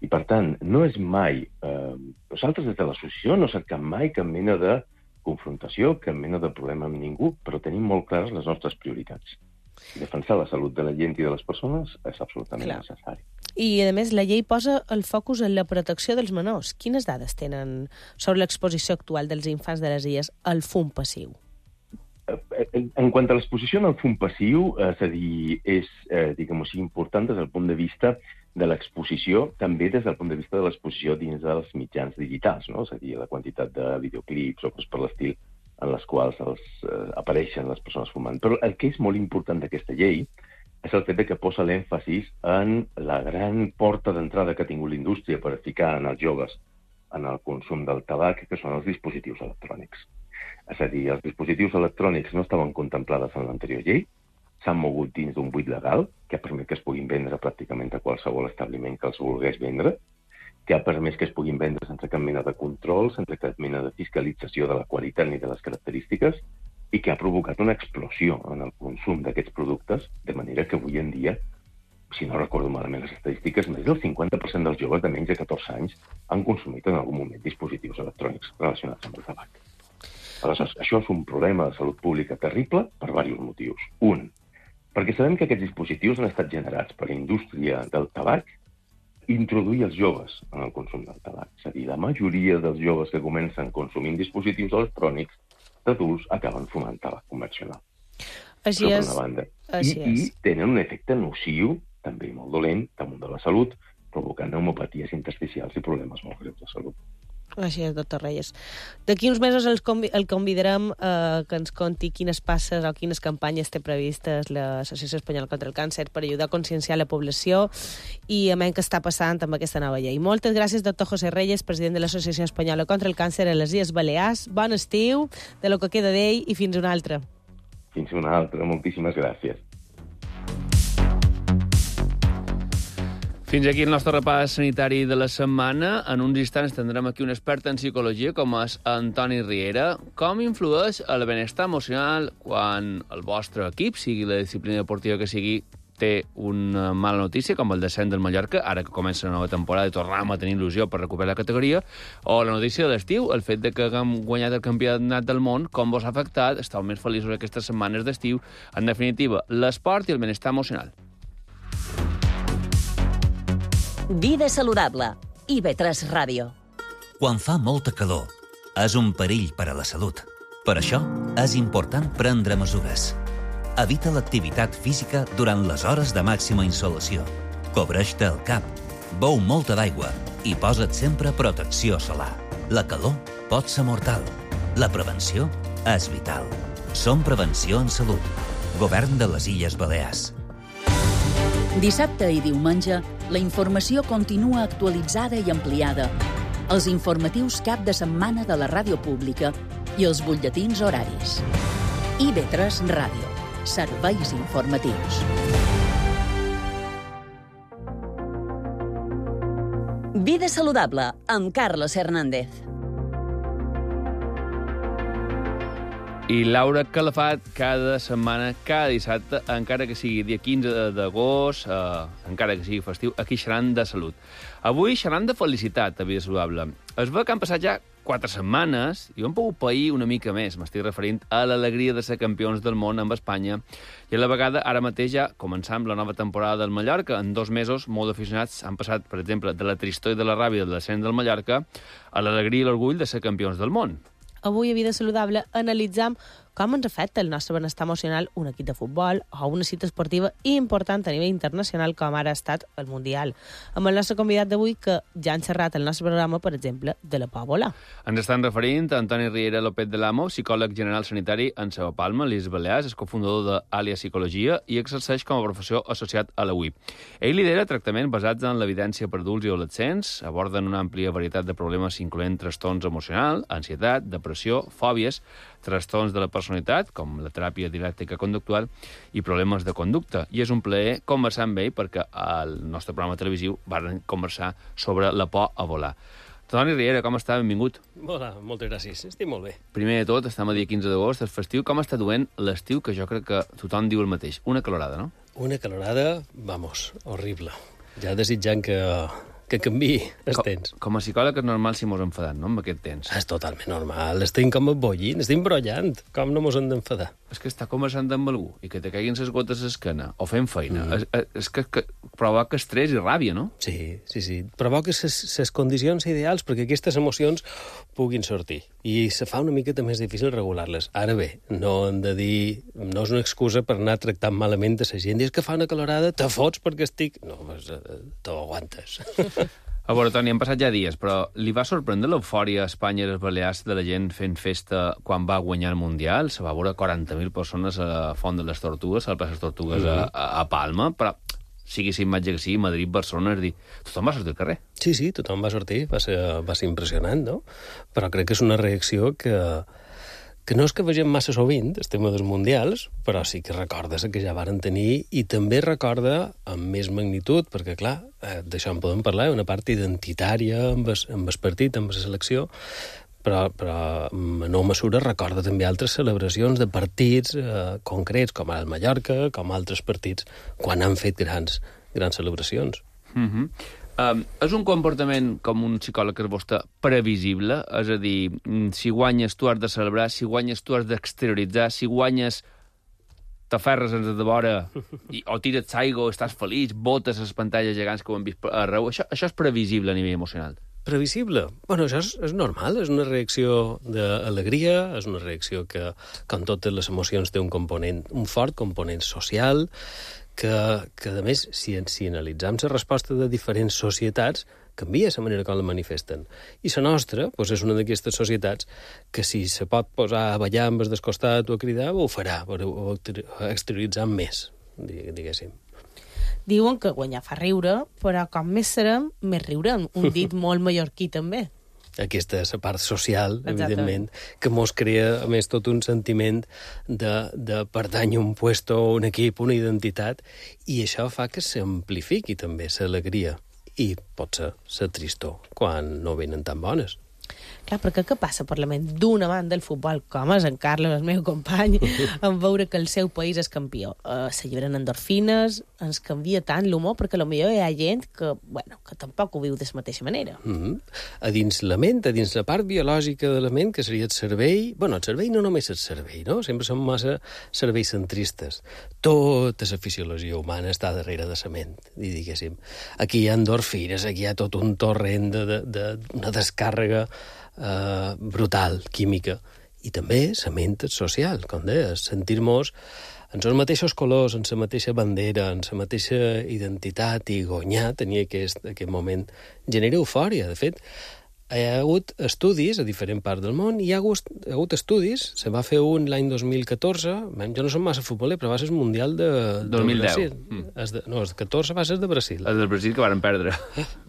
I, per tant, no és mai... Eh, nosaltres, des de l'associació, no cercam mai cap mena de confrontació, cap mena de problema amb ningú, però tenim molt clares les nostres prioritats. Defensar la salut de la gent i de les persones és absolutament Clar. necessari. I, a més, la llei posa el focus en la protecció dels menors. Quines dades tenen sobre l'exposició actual dels infants de les illes al fum passiu? En quant a l'exposició al fum passiu, és a dir, és, eh, diguem-ho així, important des del punt de vista de l'exposició, també des del punt de vista de l'exposició dins dels mitjans digitals, no? És a dir, la quantitat de videoclips o coses per l'estil en les quals els, eh, apareixen les persones fumant. Però el que és molt important d'aquesta llei és el fet de que posa l'èmfasis en la gran porta d'entrada que ha tingut la indústria per ficar en els joves en el consum del tabac, que són els dispositius electrònics. És a dir, els dispositius electrònics no estaven contemplades en l'anterior llei, s'han mogut dins d'un buit legal, que ha permès que es puguin vendre pràcticament a qualsevol establiment que els volgués vendre, que ha permès que es puguin vendre sense cap mena de control, sense cap mena de fiscalització de la qualitat ni de les característiques, i que ha provocat una explosió en el consum d'aquests productes, de manera que avui en dia, si no recordo malament les estadístiques, més del cinquanta per cent dels joves de menys de catorze anys han consumit en algun moment dispositius electrònics relacionats amb el tabac. Aleshores, això és un problema de salut pública terrible per diversos motius. Un, perquè sabem que aquests dispositius han estat generats per la indústria del tabac introduir els joves en el consum del tabac. És a dir, la majoria dels joves que comencen consumint dispositius electrònics d'adults acaben fumant tabac convencional. Així és. Una banda. Així I, és. I tenen un efecte nociu, també molt dolent, damunt de la salut, provocant pneumopaties intersticials i problemes molt greus de salut. Així és, doctor Reyes. D'aquí uns mesos el, convi el convidarem eh, que ens conti quines passes o quines campanyes té previstes l'Associació Espanyola contra el Càncer per ajudar a conscienciar la població i a menys què està passant amb aquesta nova llei. Moltes gràcies, doctor José Reyes, president de l'Associació Espanyola contra el Càncer a les Illes Balears. Bon estiu, de lo que queda d'ell, i fins una altra. Fins una altra. Moltíssimes gràcies. Fins aquí el nostre repàs sanitari de la setmana. En uns instants tindrem aquí un expert en psicologia, com és Antoni Riera. Com influeix el benestar emocional quan el vostre equip, sigui la disciplina deportiva que sigui, té una mala notícia, com el descens del Mallorca, ara que comença una nova temporada i tornem a tenir il·lusió per recuperar la categoria, o la notícia de l'estiu, el fet de que haguem guanyat el campionat del món, com vos ha afectat, esteu més feliços aquestes setmanes d'estiu, en definitiva, l'esport i el benestar emocional. Vida saludable. I ve tres Ràdio. Quan fa molta calor, és un perill per a la salut. Per això, és important prendre mesures. Evita l'activitat física durant les hores de màxima insolació. Cobreix-te el cap, beu molta d'aigua i posa't sempre protecció solar. La calor pot ser mortal. La prevenció és vital. Som Prevenció en Salut. Govern de les Illes Balears. Dissabte i diumenge, la informació continua actualitzada i ampliada. Els informatius cap de setmana de la ràdio pública i els butlletins horaris. I ve tres Ràdio. Serveis informatius. Vida saludable, amb Carlos Hernández. I Laura Calafat, cada setmana, cada dissabte, encara que sigui dia quinze d'agost, eh, encara que sigui festiu, aquí xerran de salut. Avui xerran de felicitat a Vida Saludable. Es veu que han passat ja quatre setmanes i ho hem pogut pair una mica més. M'estic referint a l'alegria de ser campions del món amb Espanya. I a la vegada, ara mateix ja començam la nova temporada del Mallorca. En dos mesos, molts aficionats han passat, per exemple, de la tristor i de la ràbia del descens del Mallorca a l'alegria i l'orgull de ser campions del món. Avui a Vida Saludable analitzam com ens afecta el nostre benestar emocional un equip de futbol o una cita esportiva important a nivell internacional com ara ha estat el Mundial. Amb el nostre convidat d'avui, que ja han xerrat el nostre programa, per exemple, de la pòbola. Ens estan referint a Antoni Riera López de l'Amo, psicòleg general sanitari en Seva Palma, l'Illes Balears, és cofundador d'Àlia Psicologia i exerceix com a professor associat a la U I P. Ell lidera tractaments basats en l'evidència per adults i adolescents, aborden una àmplia varietat de problemes incloent trastorns emocionals, ansietat, depressió, fòbies, trastorns de la personalitat, com la teràpia dialèctica conductual, i problemes de conducta. I és un plaer conversar amb ell perquè al nostre programa televisiu van conversar sobre la por a volar. Toni Riera, com està? Benvingut. Hola, moltes gràcies. Estic molt bé. Primer de tot, estem a dia quinze d'agost, és festiu. Com està duent l'estiu, que jo crec que tothom diu el mateix? Una calorada, no? Una calorada, vamos, horrible. Ja desitjant que... que canviï els temps. Com, com a psicòleg és normal si mos enfadant, no?, amb aquest temps. És totalment normal. Estem com bollint, estem brollant. Com no mos hem d'enfadar? És que està conversant amb algú i que te caiguin les gotes a l'esquena o fent feina. Mm. És, és que, que provoca estrès i ràbia, no? Sí, sí, sí. Provoca les condicions ideals perquè aquestes emocions puguin sortir. I se fa una miqueta més difícil regular-les. Ara bé, no hem de dir... No és una excusa per anar tractant malament a la gent. I és que fa una calorada, te fots perquè estic... No, pues, t'ho aguantes. A veure, Toni, han passat ja dies, però li va sorprendre l'eufòria a Espanya i les Balears de la gent fent festa quan va guanyar el Mundial? Se va veure quaranta mil persones a la Font de les Tortugues, a la plaça de les Tortugues, mm-hmm. a, a Palma, però sigui si imatge que sigui, Madrid, Barcelona, és dir, tothom va sortir al carrer. Sí, sí, tothom va sortir, va ser, va ser impressionant, no? Però crec que és una reacció que... que no és que vegem massa sovint, el tema dels mundials, però sí que recordes que ja varen tenir, i també recorda amb més magnitud, perquè, clar, eh, d'això en podem parlar, una part identitària amb el, amb el partit, amb la selecció, però, però en no mesura recorda també altres celebracions de partits eh, concrets, com el Mallorca, com altres partits, quan han fet grans, grans celebracions. Mhm. Um, és un comportament, com un psicòleg que és vostè, previsible? És a dir, si guanyes tu has de celebrar, si guanyes tu has d'exterioritzar, si guanyes t'aferres ens de vora i, o tires aigua, estàs feliç, botes les pantalles gegants que ho hem vist arreu. Això, això és previsible a nivell emocional? Previsible? Bueno, això és, és normal, és una reacció d'alegria, és una reacció que, com totes les emocions, té un component, un fort component social, que, que a més, si, si analitzem la resposta de diferents societats, canvia la manera com la manifesten. I la nostra doncs, és una d'aquestes societats que si se pot posar a ballar amb el descostat o a cridar, ho farà, ho exterioritzar més, diguéssim. Diuen que guanyar fa riure, però com més serem, més riurem. Un dit molt mallorquí, també. Aquesta és la part social, evidentment, que mos crea, a més, tot un sentiment de, de pertany a un puesto, un equip, una identitat, i això fa que s'amplifiqui també l'alegria. I pot ser la tristor quan no venen tan bones. Clar, perquè què passa per la ment d'un amant del futbol, com és en Carles, el meu company, en veure que el seu país és campió? Uh, S'alliberen endorfines, ens canvia tant l'humor, perquè potser hi ha gent que, bueno, que tampoc ho viu de la mateixa manera. Mm-hmm. A dins la ment, a dins la part biològica de la ment, que seria el cervell... Bueno, el cervell no només és el cervell, no? Sempre som massa cervells centristes. Tota la fisiologia humana està darrere de la ment, i diguéssim. Aquí hi ha endorfines, aquí hi ha tot un torrent de, de, de una descàrrega Uh, brutal, química, i també la ment social, com deies, sentir-nos en els mateixos colors, en la mateixa bandera, en la mateixa identitat, i guanyar, tenia aquest, aquest moment, genera eufòria. De fet, hi ha hagut estudis a diferents parts del món, i hi ha hagut, hi ha hagut estudis, se va fer un l'any dos mil catorze, jo no som massa futboler, però va ser el Mundial de, dos mil deu. de Brasil. Mm. Es de, no, el catorze va ser de Brasil. El del Brasil que varen perdre.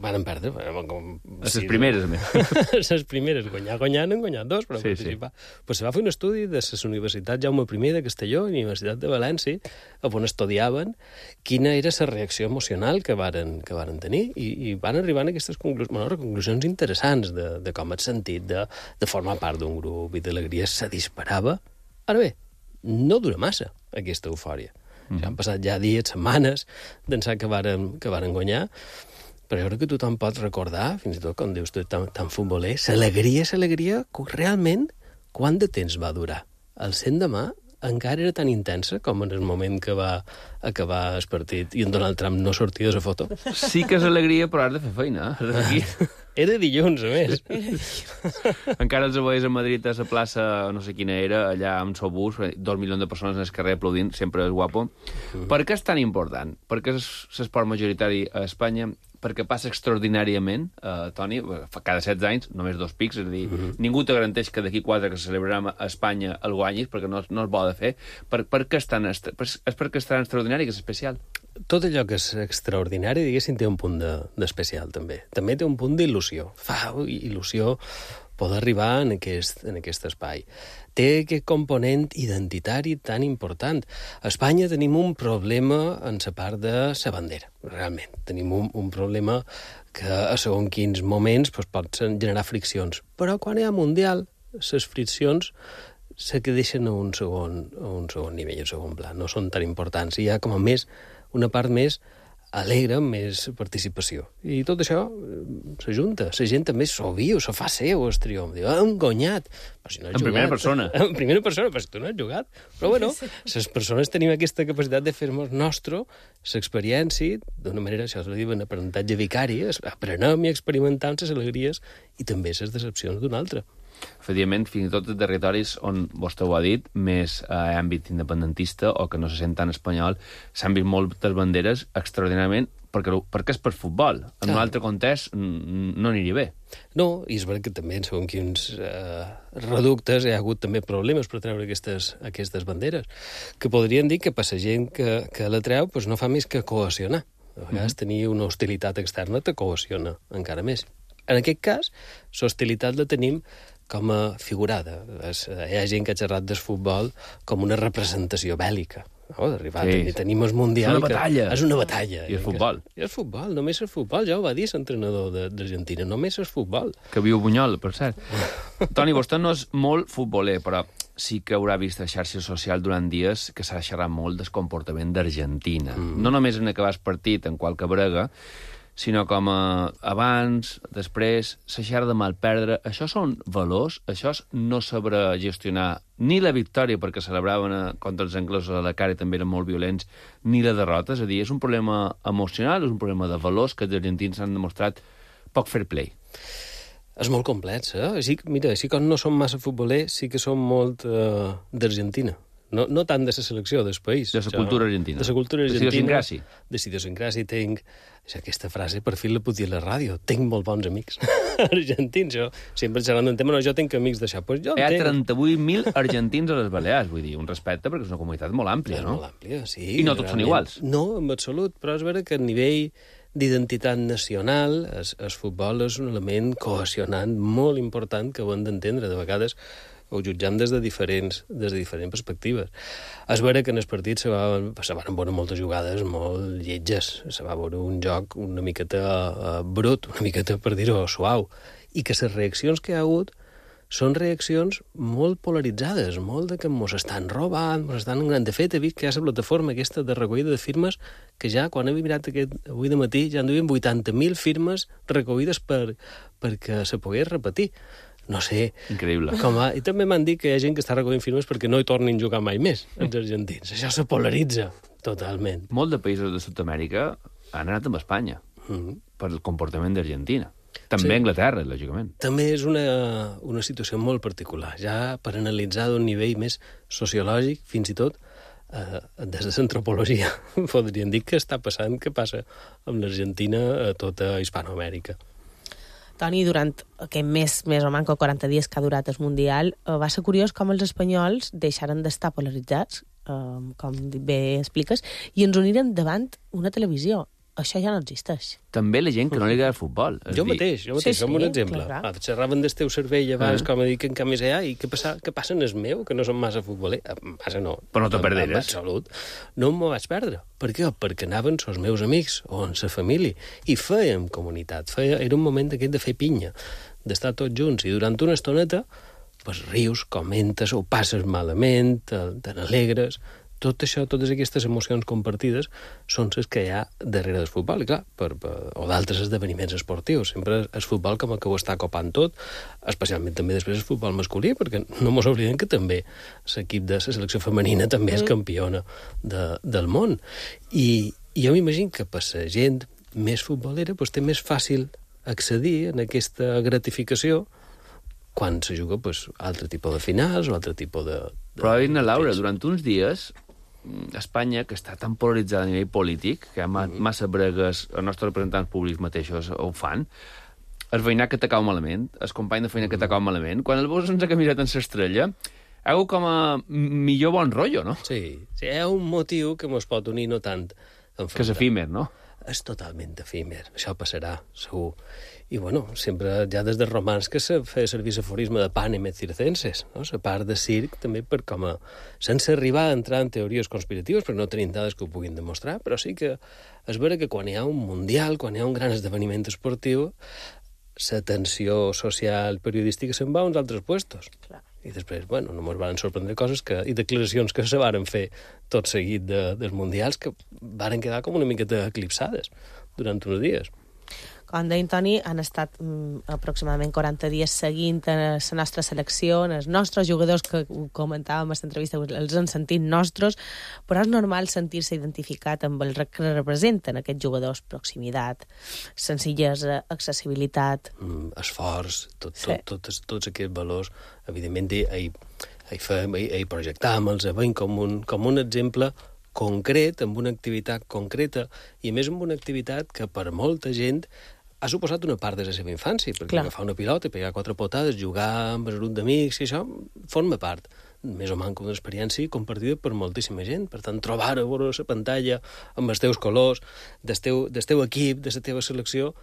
Varen perdre. Com, les sí, primeres, a més. Les primeres. Guanyar, guanyar, n'han guanyat dos, però sí, participar. Sí. Pues se va fer un estudi de les universitats Jaume I de Castelló i la Universitat de València, on estudiaven quina era la reacció emocional que varen, que varen tenir, i, i van arribar a aquestes conclusions, bueno, conclusions interessants de, de com et sentit, de, de formar part d'un grup, i d'alegria se disparava. Ara bé, no dura massa aquesta eufòria. Mm. Han passat ja dies, setmanes, d'ençà que varen, que varen guanyar, però jo crec que tothom pot recordar, fins i tot quan dius tu tan, tan futboler, l'alegria, l'alegria, realment, quant de temps va durar? El cent de mà encara era tan intensa com en el moment que va acabar el partit i en Donald Trump no sortia de la foto. Sí que és alegria, però has de fer feina. Aquí. Era dilluns, a més. Encara els veies a Madrid, a la plaça, no sé quina era, allà amb el bus, dos milions de persones en el carrer aplaudint, sempre és guapo. Mm. Per què és tan important? Perquè és l'esport majoritari a Espanya, perquè passa extraordinàriament, eh, Toni, cada setze anys, només dos pics, és a dir, mm-hmm. ningú te garanteix que d'aquí quatre que se celebrarà a Espanya el guanyis, perquè no, no es vol de fer. Per, per què és tan, és perquè és tan extraordinari, que és especial? Tot allò que és extraordinari, diguéssim, té un punt d'especial, de, també. També té un punt d'il·lusió. Fa il·lusió poder arribar en aquest, en aquest espai. Té aquest component identitari tan important. A Espanya tenim un problema en la part de la bandera, realment. Tenim un, un problema que a segons quins moments doncs, pot generar friccions. Però quan hi ha mundial, les friccions se que deixen a un segon, a un segon nivell, a un segon pla. No són tan importants. Hi ha com a més una part més alegre, més participació. I tot això s'ajunta. La gent també s'ho viu, s'ho fa seu, el triomf. Diu, hem guanyat. Però si no has en jugat, primera persona. En primera persona, però si tu no has jugat. Però bueno, les persones tenim aquesta capacitat de fer-nos nostre l'experiència, d'una manera, això es diu, en aprenentatge vicari, aprenem i experimentem les alegries i també les decepcions d'un altre. Efectivament, fins i tot de territoris on, vostè ho ha dit, més a eh, àmbit independentista o que no se sent tan espanyol, s'han vist moltes banderes extraordinàriament perquè, perquè és per futbol. En ah. un altre context no aniria bé. No, i és veritat que també en segons quins eh, reductes hi ha hagut també problemes per treure aquestes, aquestes banderes, que podrien dir que per la gent que, que la treu doncs no fa més que cohesionar. A vegades mm-hmm. tenir una hostilitat externa te cohesiona encara més. En aquest cas, l'hostilitat la tenim com a figurada. Hi ha gent que ha xerrat del futbol com una representació bèl·lica. No? D'arribar sí. a tenir el Mundial... És una batalla. És una batalla. I el futbol. I el futbol, només el futbol. Ja ho va dir l'entrenador d'Argentina, només el futbol. Que viu Bunyol, per cert. Toni, vostè no és molt futboler, però sí que haurà vist a xarxes socials durant dies que s'ha xerrat molt del comportament d'Argentina. Mm. No només en acabar el partit, en qualque brega, sinó com a abans, després, la xerra de mal perdre. Això són valors? Això és no saber gestionar ni la victòria, perquè celebraven contra els anglesos a la cara i també eren molt violents, ni la derrota? És a dir, és un problema emocional, és un problema de valors que els argentins han demostrat poc fair play. És molt complex, eh? Així, mira, així com no som massa futbolers, sí que som molt uh, d'Argentina. No, no tant de la selecció, del país. De la cultura argentina. De la cultura argentina. De idiosincràsia. De idiosincràsia. Tinc... Aquesta frase, per fi la puc dir a la ràdio. Tinc molt bons amics argentins. Jo sempre xerrant d'un tema, no, jo tinc amics d'això. Pues jo Hi ha tenc... trenta-vuit mil argentins a les Balears, vull dir, un respecte, perquè és una comunitat molt àmplia, és no? Molt àmplia, sí. I no tots realment són iguals. No, en absolut, però és vera que a nivell d'identitat nacional, el, el futbol és un element cohesionant molt important que ho hem d'entendre. De vegades ho jutjam des de diferents, des de diferents perspectives. És vera que en el partit se, va, se van veure moltes jugades molt lletges, se va veure un joc una miqueta uh, brut, una miqueta, per dir-ho, suau, i que les reaccions que hi ha hagut són reaccions molt polaritzades, molt de que mos estan robant, mos estan engranant. De fet, he vist que hi ha la plataforma aquesta de recollida de firmes que ja, quan he mirat aquest, avui de matí, ja en duien vuitanta mil firmes recollides per, perquè se pogués repetir. No sé. Increïble. Com a... I també m'han dit que hi ha gent que està recollint firmes perquè no hi tornin a jugar mai més, els argentins. Això se polaritza totalment. Molt de països de Sud-amèrica han anat amb Espanya mm-hmm. per el comportament d'Argentina. També sí. Anglaterra, lògicament. També és una, una situació molt particular. Ja per analitzar d'un nivell més sociològic, fins i tot, eh, des de l'antropologia podríem dir que està passant, que passa amb l'Argentina a tota Hispanoamèrica. Toni, durant aquest mes, més o manco quaranta dies que ha durat el Mundial, eh, va ser curiós com els espanyols deixaren d'estar polaritzats, eh, com bé expliques, i ens uniren davant una televisió. Això ja no existeix. També la gent que no li agrada el futbol. Jo mateix, jo mateix, Sí, com un sí, exemple. clar. Ah, xerraven del teu cervell abans, Eh. com a dir que en canvi ja, i què passa, què passa en el meu, que no som massa futboler? Eh, Massa no. Però no te En- perderes. En absolut. No m'ho vaig perdre. Per què? Perquè anaven els meus amics o en la família i fèiem comunitat. Feia, era un moment aquest de fer pinya, d'estar tots junts, i durant una estoneta pues, rius, comentes, ho passes malament, te, te n'alegres. Tot això, totes aquestes emocions compartides són les que hi ha darrere del futbol, i clar, per, per, o d'altres esdeveniments esportius. Sempre el futbol com que ho està copant tot, especialment també després el futbol masculí, perquè no mos oblidem que també l'equip de la selecció femenina també és campiona de, del món. I, i jo m'imagino que per la gent més futbolera pues, té més fàcil accedir a aquesta gratificació quan se juga pues, altre tipus de finals o altre tipus de... de Però, Irna, Laura, de- durant uns dies, Espanya, que està tan polaritzada a nivell polític, que ma Mm-hmm. massa bregues, els nostres representants públics mateixos ho fan, el veïnat que t'acau malament, el company de feina que t'acau malament, quan el veus sense camiseta en l'estrella, heu com a millor bon rotllo, no? Sí, sí, hi ha un motiu que mos pot unir no tant enfrontar. Que és efímer, no? És totalment efímer, això passarà, segur. I, bueno, sempre, ja des dels romans que se feia servir l'aforisme de panem et circenses, no? La part de circ també per com a... sense arribar a entrar en teories conspiratives, perquè no tenim dades que ho puguin demostrar, però sí que és vera que quan hi ha un mundial, quan hi ha un gran esdeveniment esportiu, l'atenció social periodística se'n va a uns altres puestos. Clar. I després, bueno, no mos van sorprendre coses que, i declaracions que se varen fer tot seguit de, dels mundials que varen quedar com una miqueta eclipsades durant uns dies. Com deia Toni, han estat mm, aproximadament quaranta dies seguint la nostra selecció, els nostres jugadors, que ho comentàvem a l'entrevista, els han sentit nostres, però és normal sentir-se identificat amb el que representen aquests jugadors: proximitat, senzillesa, accessibilitat... Mm, esforç, tot, Sí. tot, tots, tots aquests valors, evidentment, ahir, ahir, fem, ahir, ahir projectàvem, els veiem com un, com un exemple concret, amb una activitat concreta, i a més amb una activitat que per molta gent ha suposat una part de la seva infància, perquè Clar. agafar una pilota, pegar quatre potades, jugar amb el grup d'amics, i això forma part, més o menys una experiència compartida per moltíssima gent. Per tant, trobar a veure la pantalla amb els teus colors, del teu, del teu equip, de la teva selecció,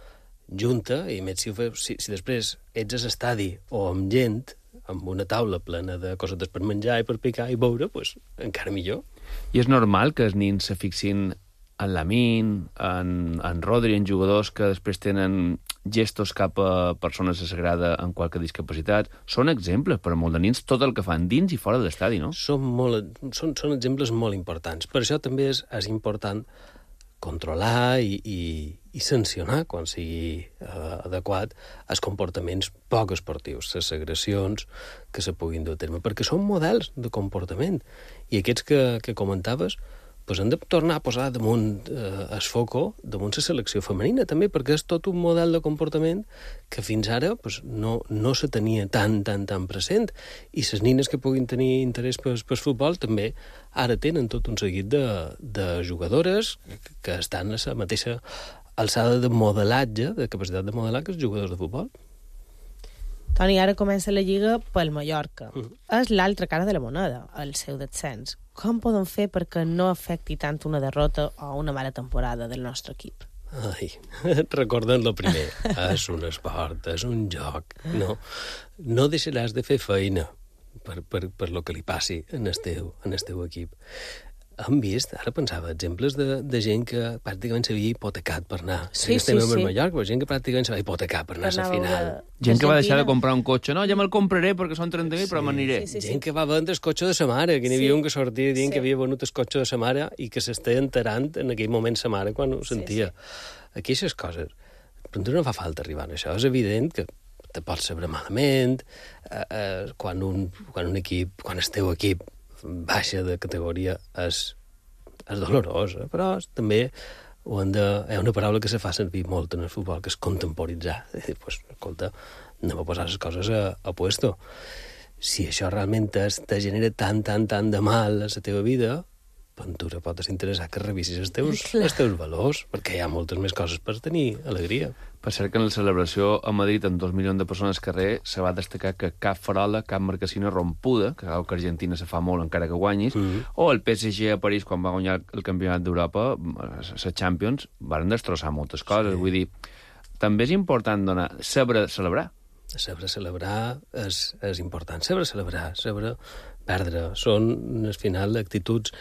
junta, i més si, ho fes, si, si després ets a l'estadi o amb gent, amb una taula plena de cosetes per menjar i per picar i beure, pues, encara millor. I és normal que els nins se fixin en Lamine, en, en Rodri, en jugadors que després tenen gestos cap a persones que s'agrada amb qualque discapacitat. Són exemples per a molt de nins tot el que fan dins i fora de l'estadi, no? Són, molt, són, són exemples molt importants. Per això també és, és important controlar i, i, i sancionar, quan sigui eh, adequat, els comportaments poc esportius, les agressions que se puguin dur a terme, perquè són models de comportament. I aquests que, que comentaves, pues hem de tornar a posar damunt eh, el foco, damunt la selecció femenina, també, perquè és tot un model de comportament que fins ara pues, no, no se tenia tan, tan, tan present. I les nines que puguin tenir interès pel, pel futbol també ara tenen tot un seguit de, de jugadores que estan a la mateixa alçada de modelatge, de capacitat de modelar, que els jugadors de futbol. Toni, ara comença la Lliga pel Mallorca. Mhm. És l'altra cara de la moneda, el seu descens. Com poden fer perquè no afecti tant una derrota o una mala temporada del nostre equip? Ai, recordem lo primer. És un esport, és un joc. No, no deixaràs de fer feina per, per, per lo que li passi en el teu, en el teu equip. Hem vist, ara pensava, exemples de, de gent que pràcticament s'havia hipotecat per anar. Sí, Estem sí, en sí. Mallorca, però gent que pràcticament s'havia hipotecat per anar a la final. Gent que va deixar de comprar un cotxe. No, ja me'l compraré perquè són trenta mil, però m'aniré. Sí, sí, sí. Gent que va vendre el cotxe de sa mare, que n'hi havia Sí. un que sortia dient Sí. que havia venut el cotxe de sa mare i que s'està enterant en aquell moment sa mare quan ho sentia. sí. Aquestes coses. Però no fa falta arribar a això. És evident que te pots saber malament, eh, eh, quan, un, quan un equip, quan el teu equip baixa de categoria és, és dolorós, eh? Però també ho hem de, hi ha una paraula que se fa servir molt en el futbol, que és contemporitzar. És dir, pues, escolta, anem a posar les coses a, a puesto. Si això realment es, te genera tant, tant, tant de mal a la teva vida, Ventura pot interessar que revisis els teus, els teus valors, perquè hi ha moltes més coses per tenir alegria. Per cert que en la celebració a Madrid amb dos milions de persones al carrer se va destacar que cap farola, cap marcassina rompuda, que sabeu que Argentina se fa molt encara que guanyis, mm -hmm. o el P S G a París quan va guanyar el campionat d'Europa, la Champions, van destrossar moltes coses. Sí. Vull dir, també és important donar, saber celebrar. Saber celebrar és, és important. Saber celebrar, saber perdre. Són, al final, actituds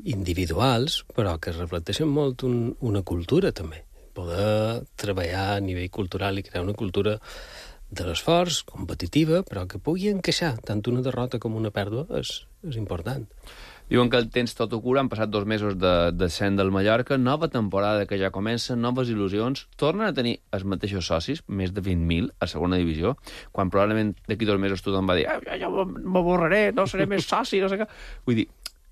individuals, però que reflecteixen molt un, una cultura, també. Poder treballar a nivell cultural i crear una cultura de l'esforç, competitiva, però que pugui encaixar tant una derrota com una pèrdua és, és important. Diuen que el tens tot ho cura, han passat dos mesos de descens del Mallorca, nova temporada que ja comença, noves il·lusions, tornen a tenir els mateixos socis, més de vint mil a segona divisió, quan probablement d'aquí dos mesos tothom va dir ah, ja, ja m'avorraré, no seré més soci, no sé què. Vull dir,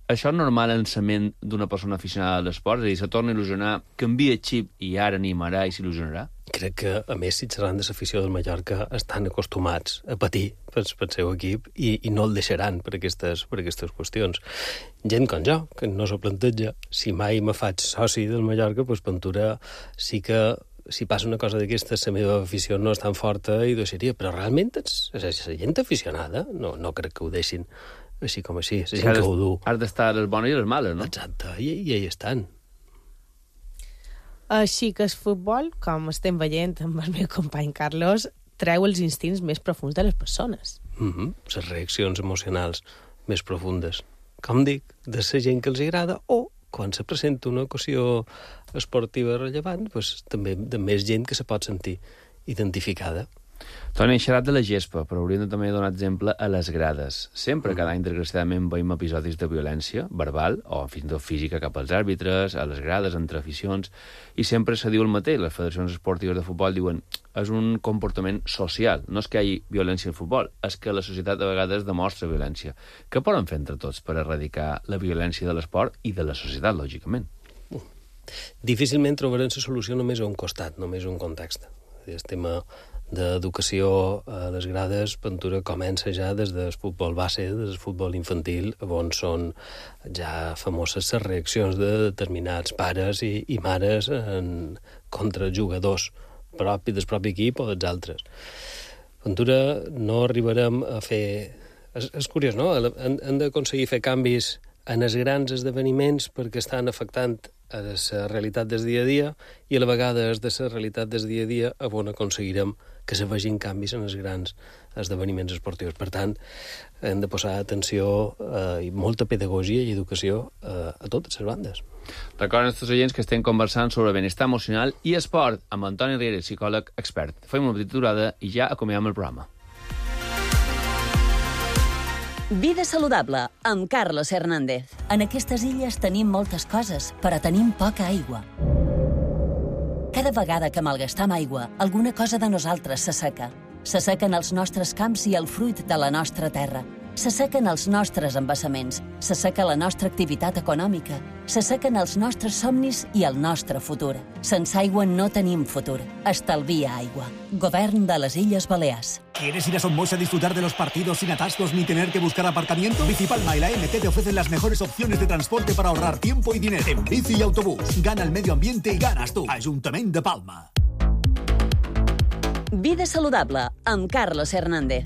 això és normal en la ment d'una persona aficionada a l'esport? És a dir, se torna a il·lusionar, canvia el xip i ara animarà i s'il·lusionarà? Crec que, a més, si xerran de l'afició del Mallorca, estan acostumats a patir pel, pel seu equip i, i no el deixaran per aquestes, per aquestes qüestions. Gent com jo, que no s'ho planteja, si mai me faig soci del Mallorca, doncs Ventura sí que si passa una cosa d'aquestes, la meva afició no és tan forta i deixaria, però realment és, és la gent aficionada, no, no crec que ho deixin així com així, la gent que ho du. Has d'estar les bones i les males, no? Exacte, i, i hi estan. Així que el futbol, com estem veient amb el meu company Carlos, treu els instints més profuns de les persones. Mm-hmm. Les reaccions emocionals més profundes. Com dic, de la gent que els agrada o quan se presenta una ocasió esportiva rellevant, doncs, també de més gent que se pot sentir identificada. Toni, hem xerrat de la gespa, però hauríem de també donar exemple a les grades. Sempre, cada any, desgraciadament, veiem episodis de violència verbal o fins i tot física cap als àrbitres, a les grades, entre aficions, i sempre se diu el mateix. Les federacions esportives de futbol diuen és un comportament social, no és que hi hagi violència al futbol, és que la societat a vegades demostra violència. Què poden fer entre tots per erradicar la violència de l'esport i de la societat, lògicament? Uh, difícilment trobarem la solució només a un costat, només a un context. El tema d'educació a les grades, Ventura comença ja des del futbol base, des del futbol infantil, on són ja famoses les reaccions de determinats pares i, i mares en, contra jugadors propi del propi equip o dels altres. Ventura no arribarem a fer... És, és curiós, no? Hem, hem d'aconseguir fer canvis en els grans esdeveniments perquè estan afectant a la realitat del dia a dia i a la vegada és de la realitat del dia a dia on aconseguirem que se vegin canvis en els grans esdeveniments esportius. Per tant, hem de posar atenció eh, i molta pedagogia i educació eh, a totes les bandes. Recorden els oients que estem conversant sobre benestar emocional i esport amb Antoni Riera, psicòleg expert. Fem una petita aturada i ja acomodem el programa. Vida saludable, amb Carlos Hernández. En aquestes illes tenim moltes coses, però tenim poca aigua. Cada vegada que malgastam aigua, alguna cosa de nosaltres s'asseca. S'assequen els nostres camps i el fruit de la nostra terra. S'assequen els nostres embassaments. S'asseca la nostra activitat econòmica. S'assequen els nostres somnis i el nostre futur. Sense aigua no tenim futur. Estalvia aigua. Govern de les Illes Balears. ¿Quieres ir a Somos a disfrutar de los partidos sin atascos ni tener que buscar aparcamiento? Bicipalma y la M T te ofrecen las mejores opciones de transporte para ahorrar tiempo y dinero. En bici y autobús. Gana el medio ambiente y ganas tú. Ayuntamiento de Palma. Vida saludable, amb Carlos Hernández.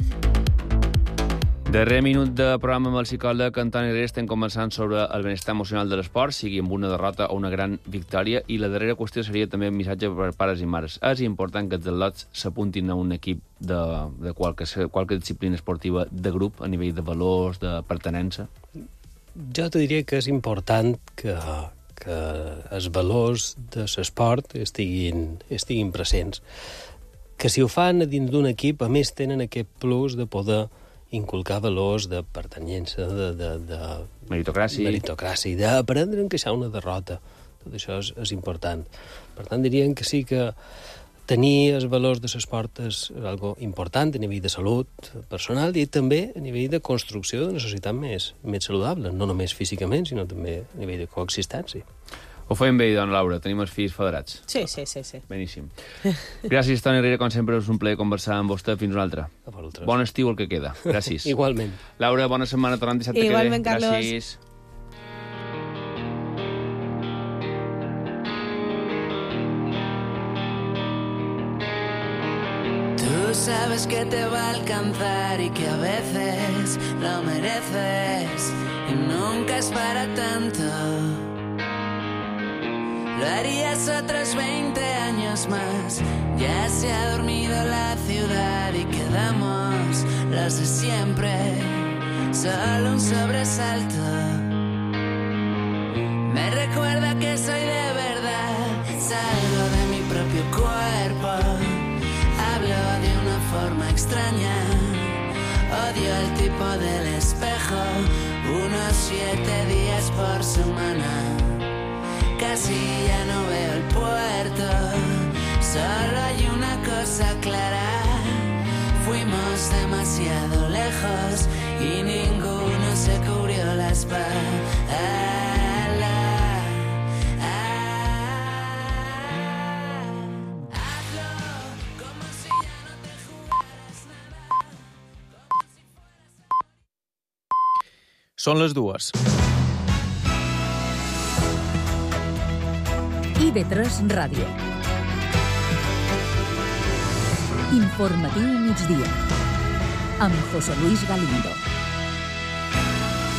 Darrer minut de programa amb el psicòleg Antoni Riera. Estem conversant sobre el benestar emocional de l'esport, sigui amb una derrota o una gran victòria, i la darrera qüestió seria també un missatge per pares i mares. És important que els atletes s'apuntin a un equip de, de qualque, qualque disciplina esportiva de grup, a nivell de valors, de pertenença? Jo te diria que és important que, que els valors de l'esport estiguin, estiguin presents. Que si ho fan a dins d'un equip, a més tenen aquest plus de poder inculcar valors de pertanyença, de... de, de meritocràcia. Meritocràcia, d'aprendre a encaixar una derrota. Tot això és, és important. Per tant, diríem que sí que tenir els valors de l'esport és algo important a nivell de salut personal i també a nivell de construcció d'una societat més, més saludable, no només físicament, sinó també a nivell de coexistència. Ho feim bé, dona Laura. Tenim els fills federats. Sí, sí, sí. sí. Beníssim. Gràcies, Toni Riera. Com sempre, és un plaer conversar amb vostè. Fins una altra. Bon estiu el que queda. Gràcies. Igualment. Laura, bona setmana. Tornem dissabte que ve. Igualment, Carlos. Gràcies. sabes que te va a alcanzar y que a veces lo mereces y nunca es para tanto. Lo harías otros veinte años más. Ya se ha dormido la ciudad y quedamos los de siempre. Solo un sobresalto me recuerda que soy de verdad. Salgo de mi propio cuerpo, hablo de una forma extraña. Odio el tipo del espejo, unos siete días por semana. Casi ya no veo el puerto, solo hay una cosa clara. Fuimos demasiado lejos y ninguno se cubrió la espalda. Són les dues. I ve tres Ràdio. Informatiu migdia. Amb José Luis Galindo.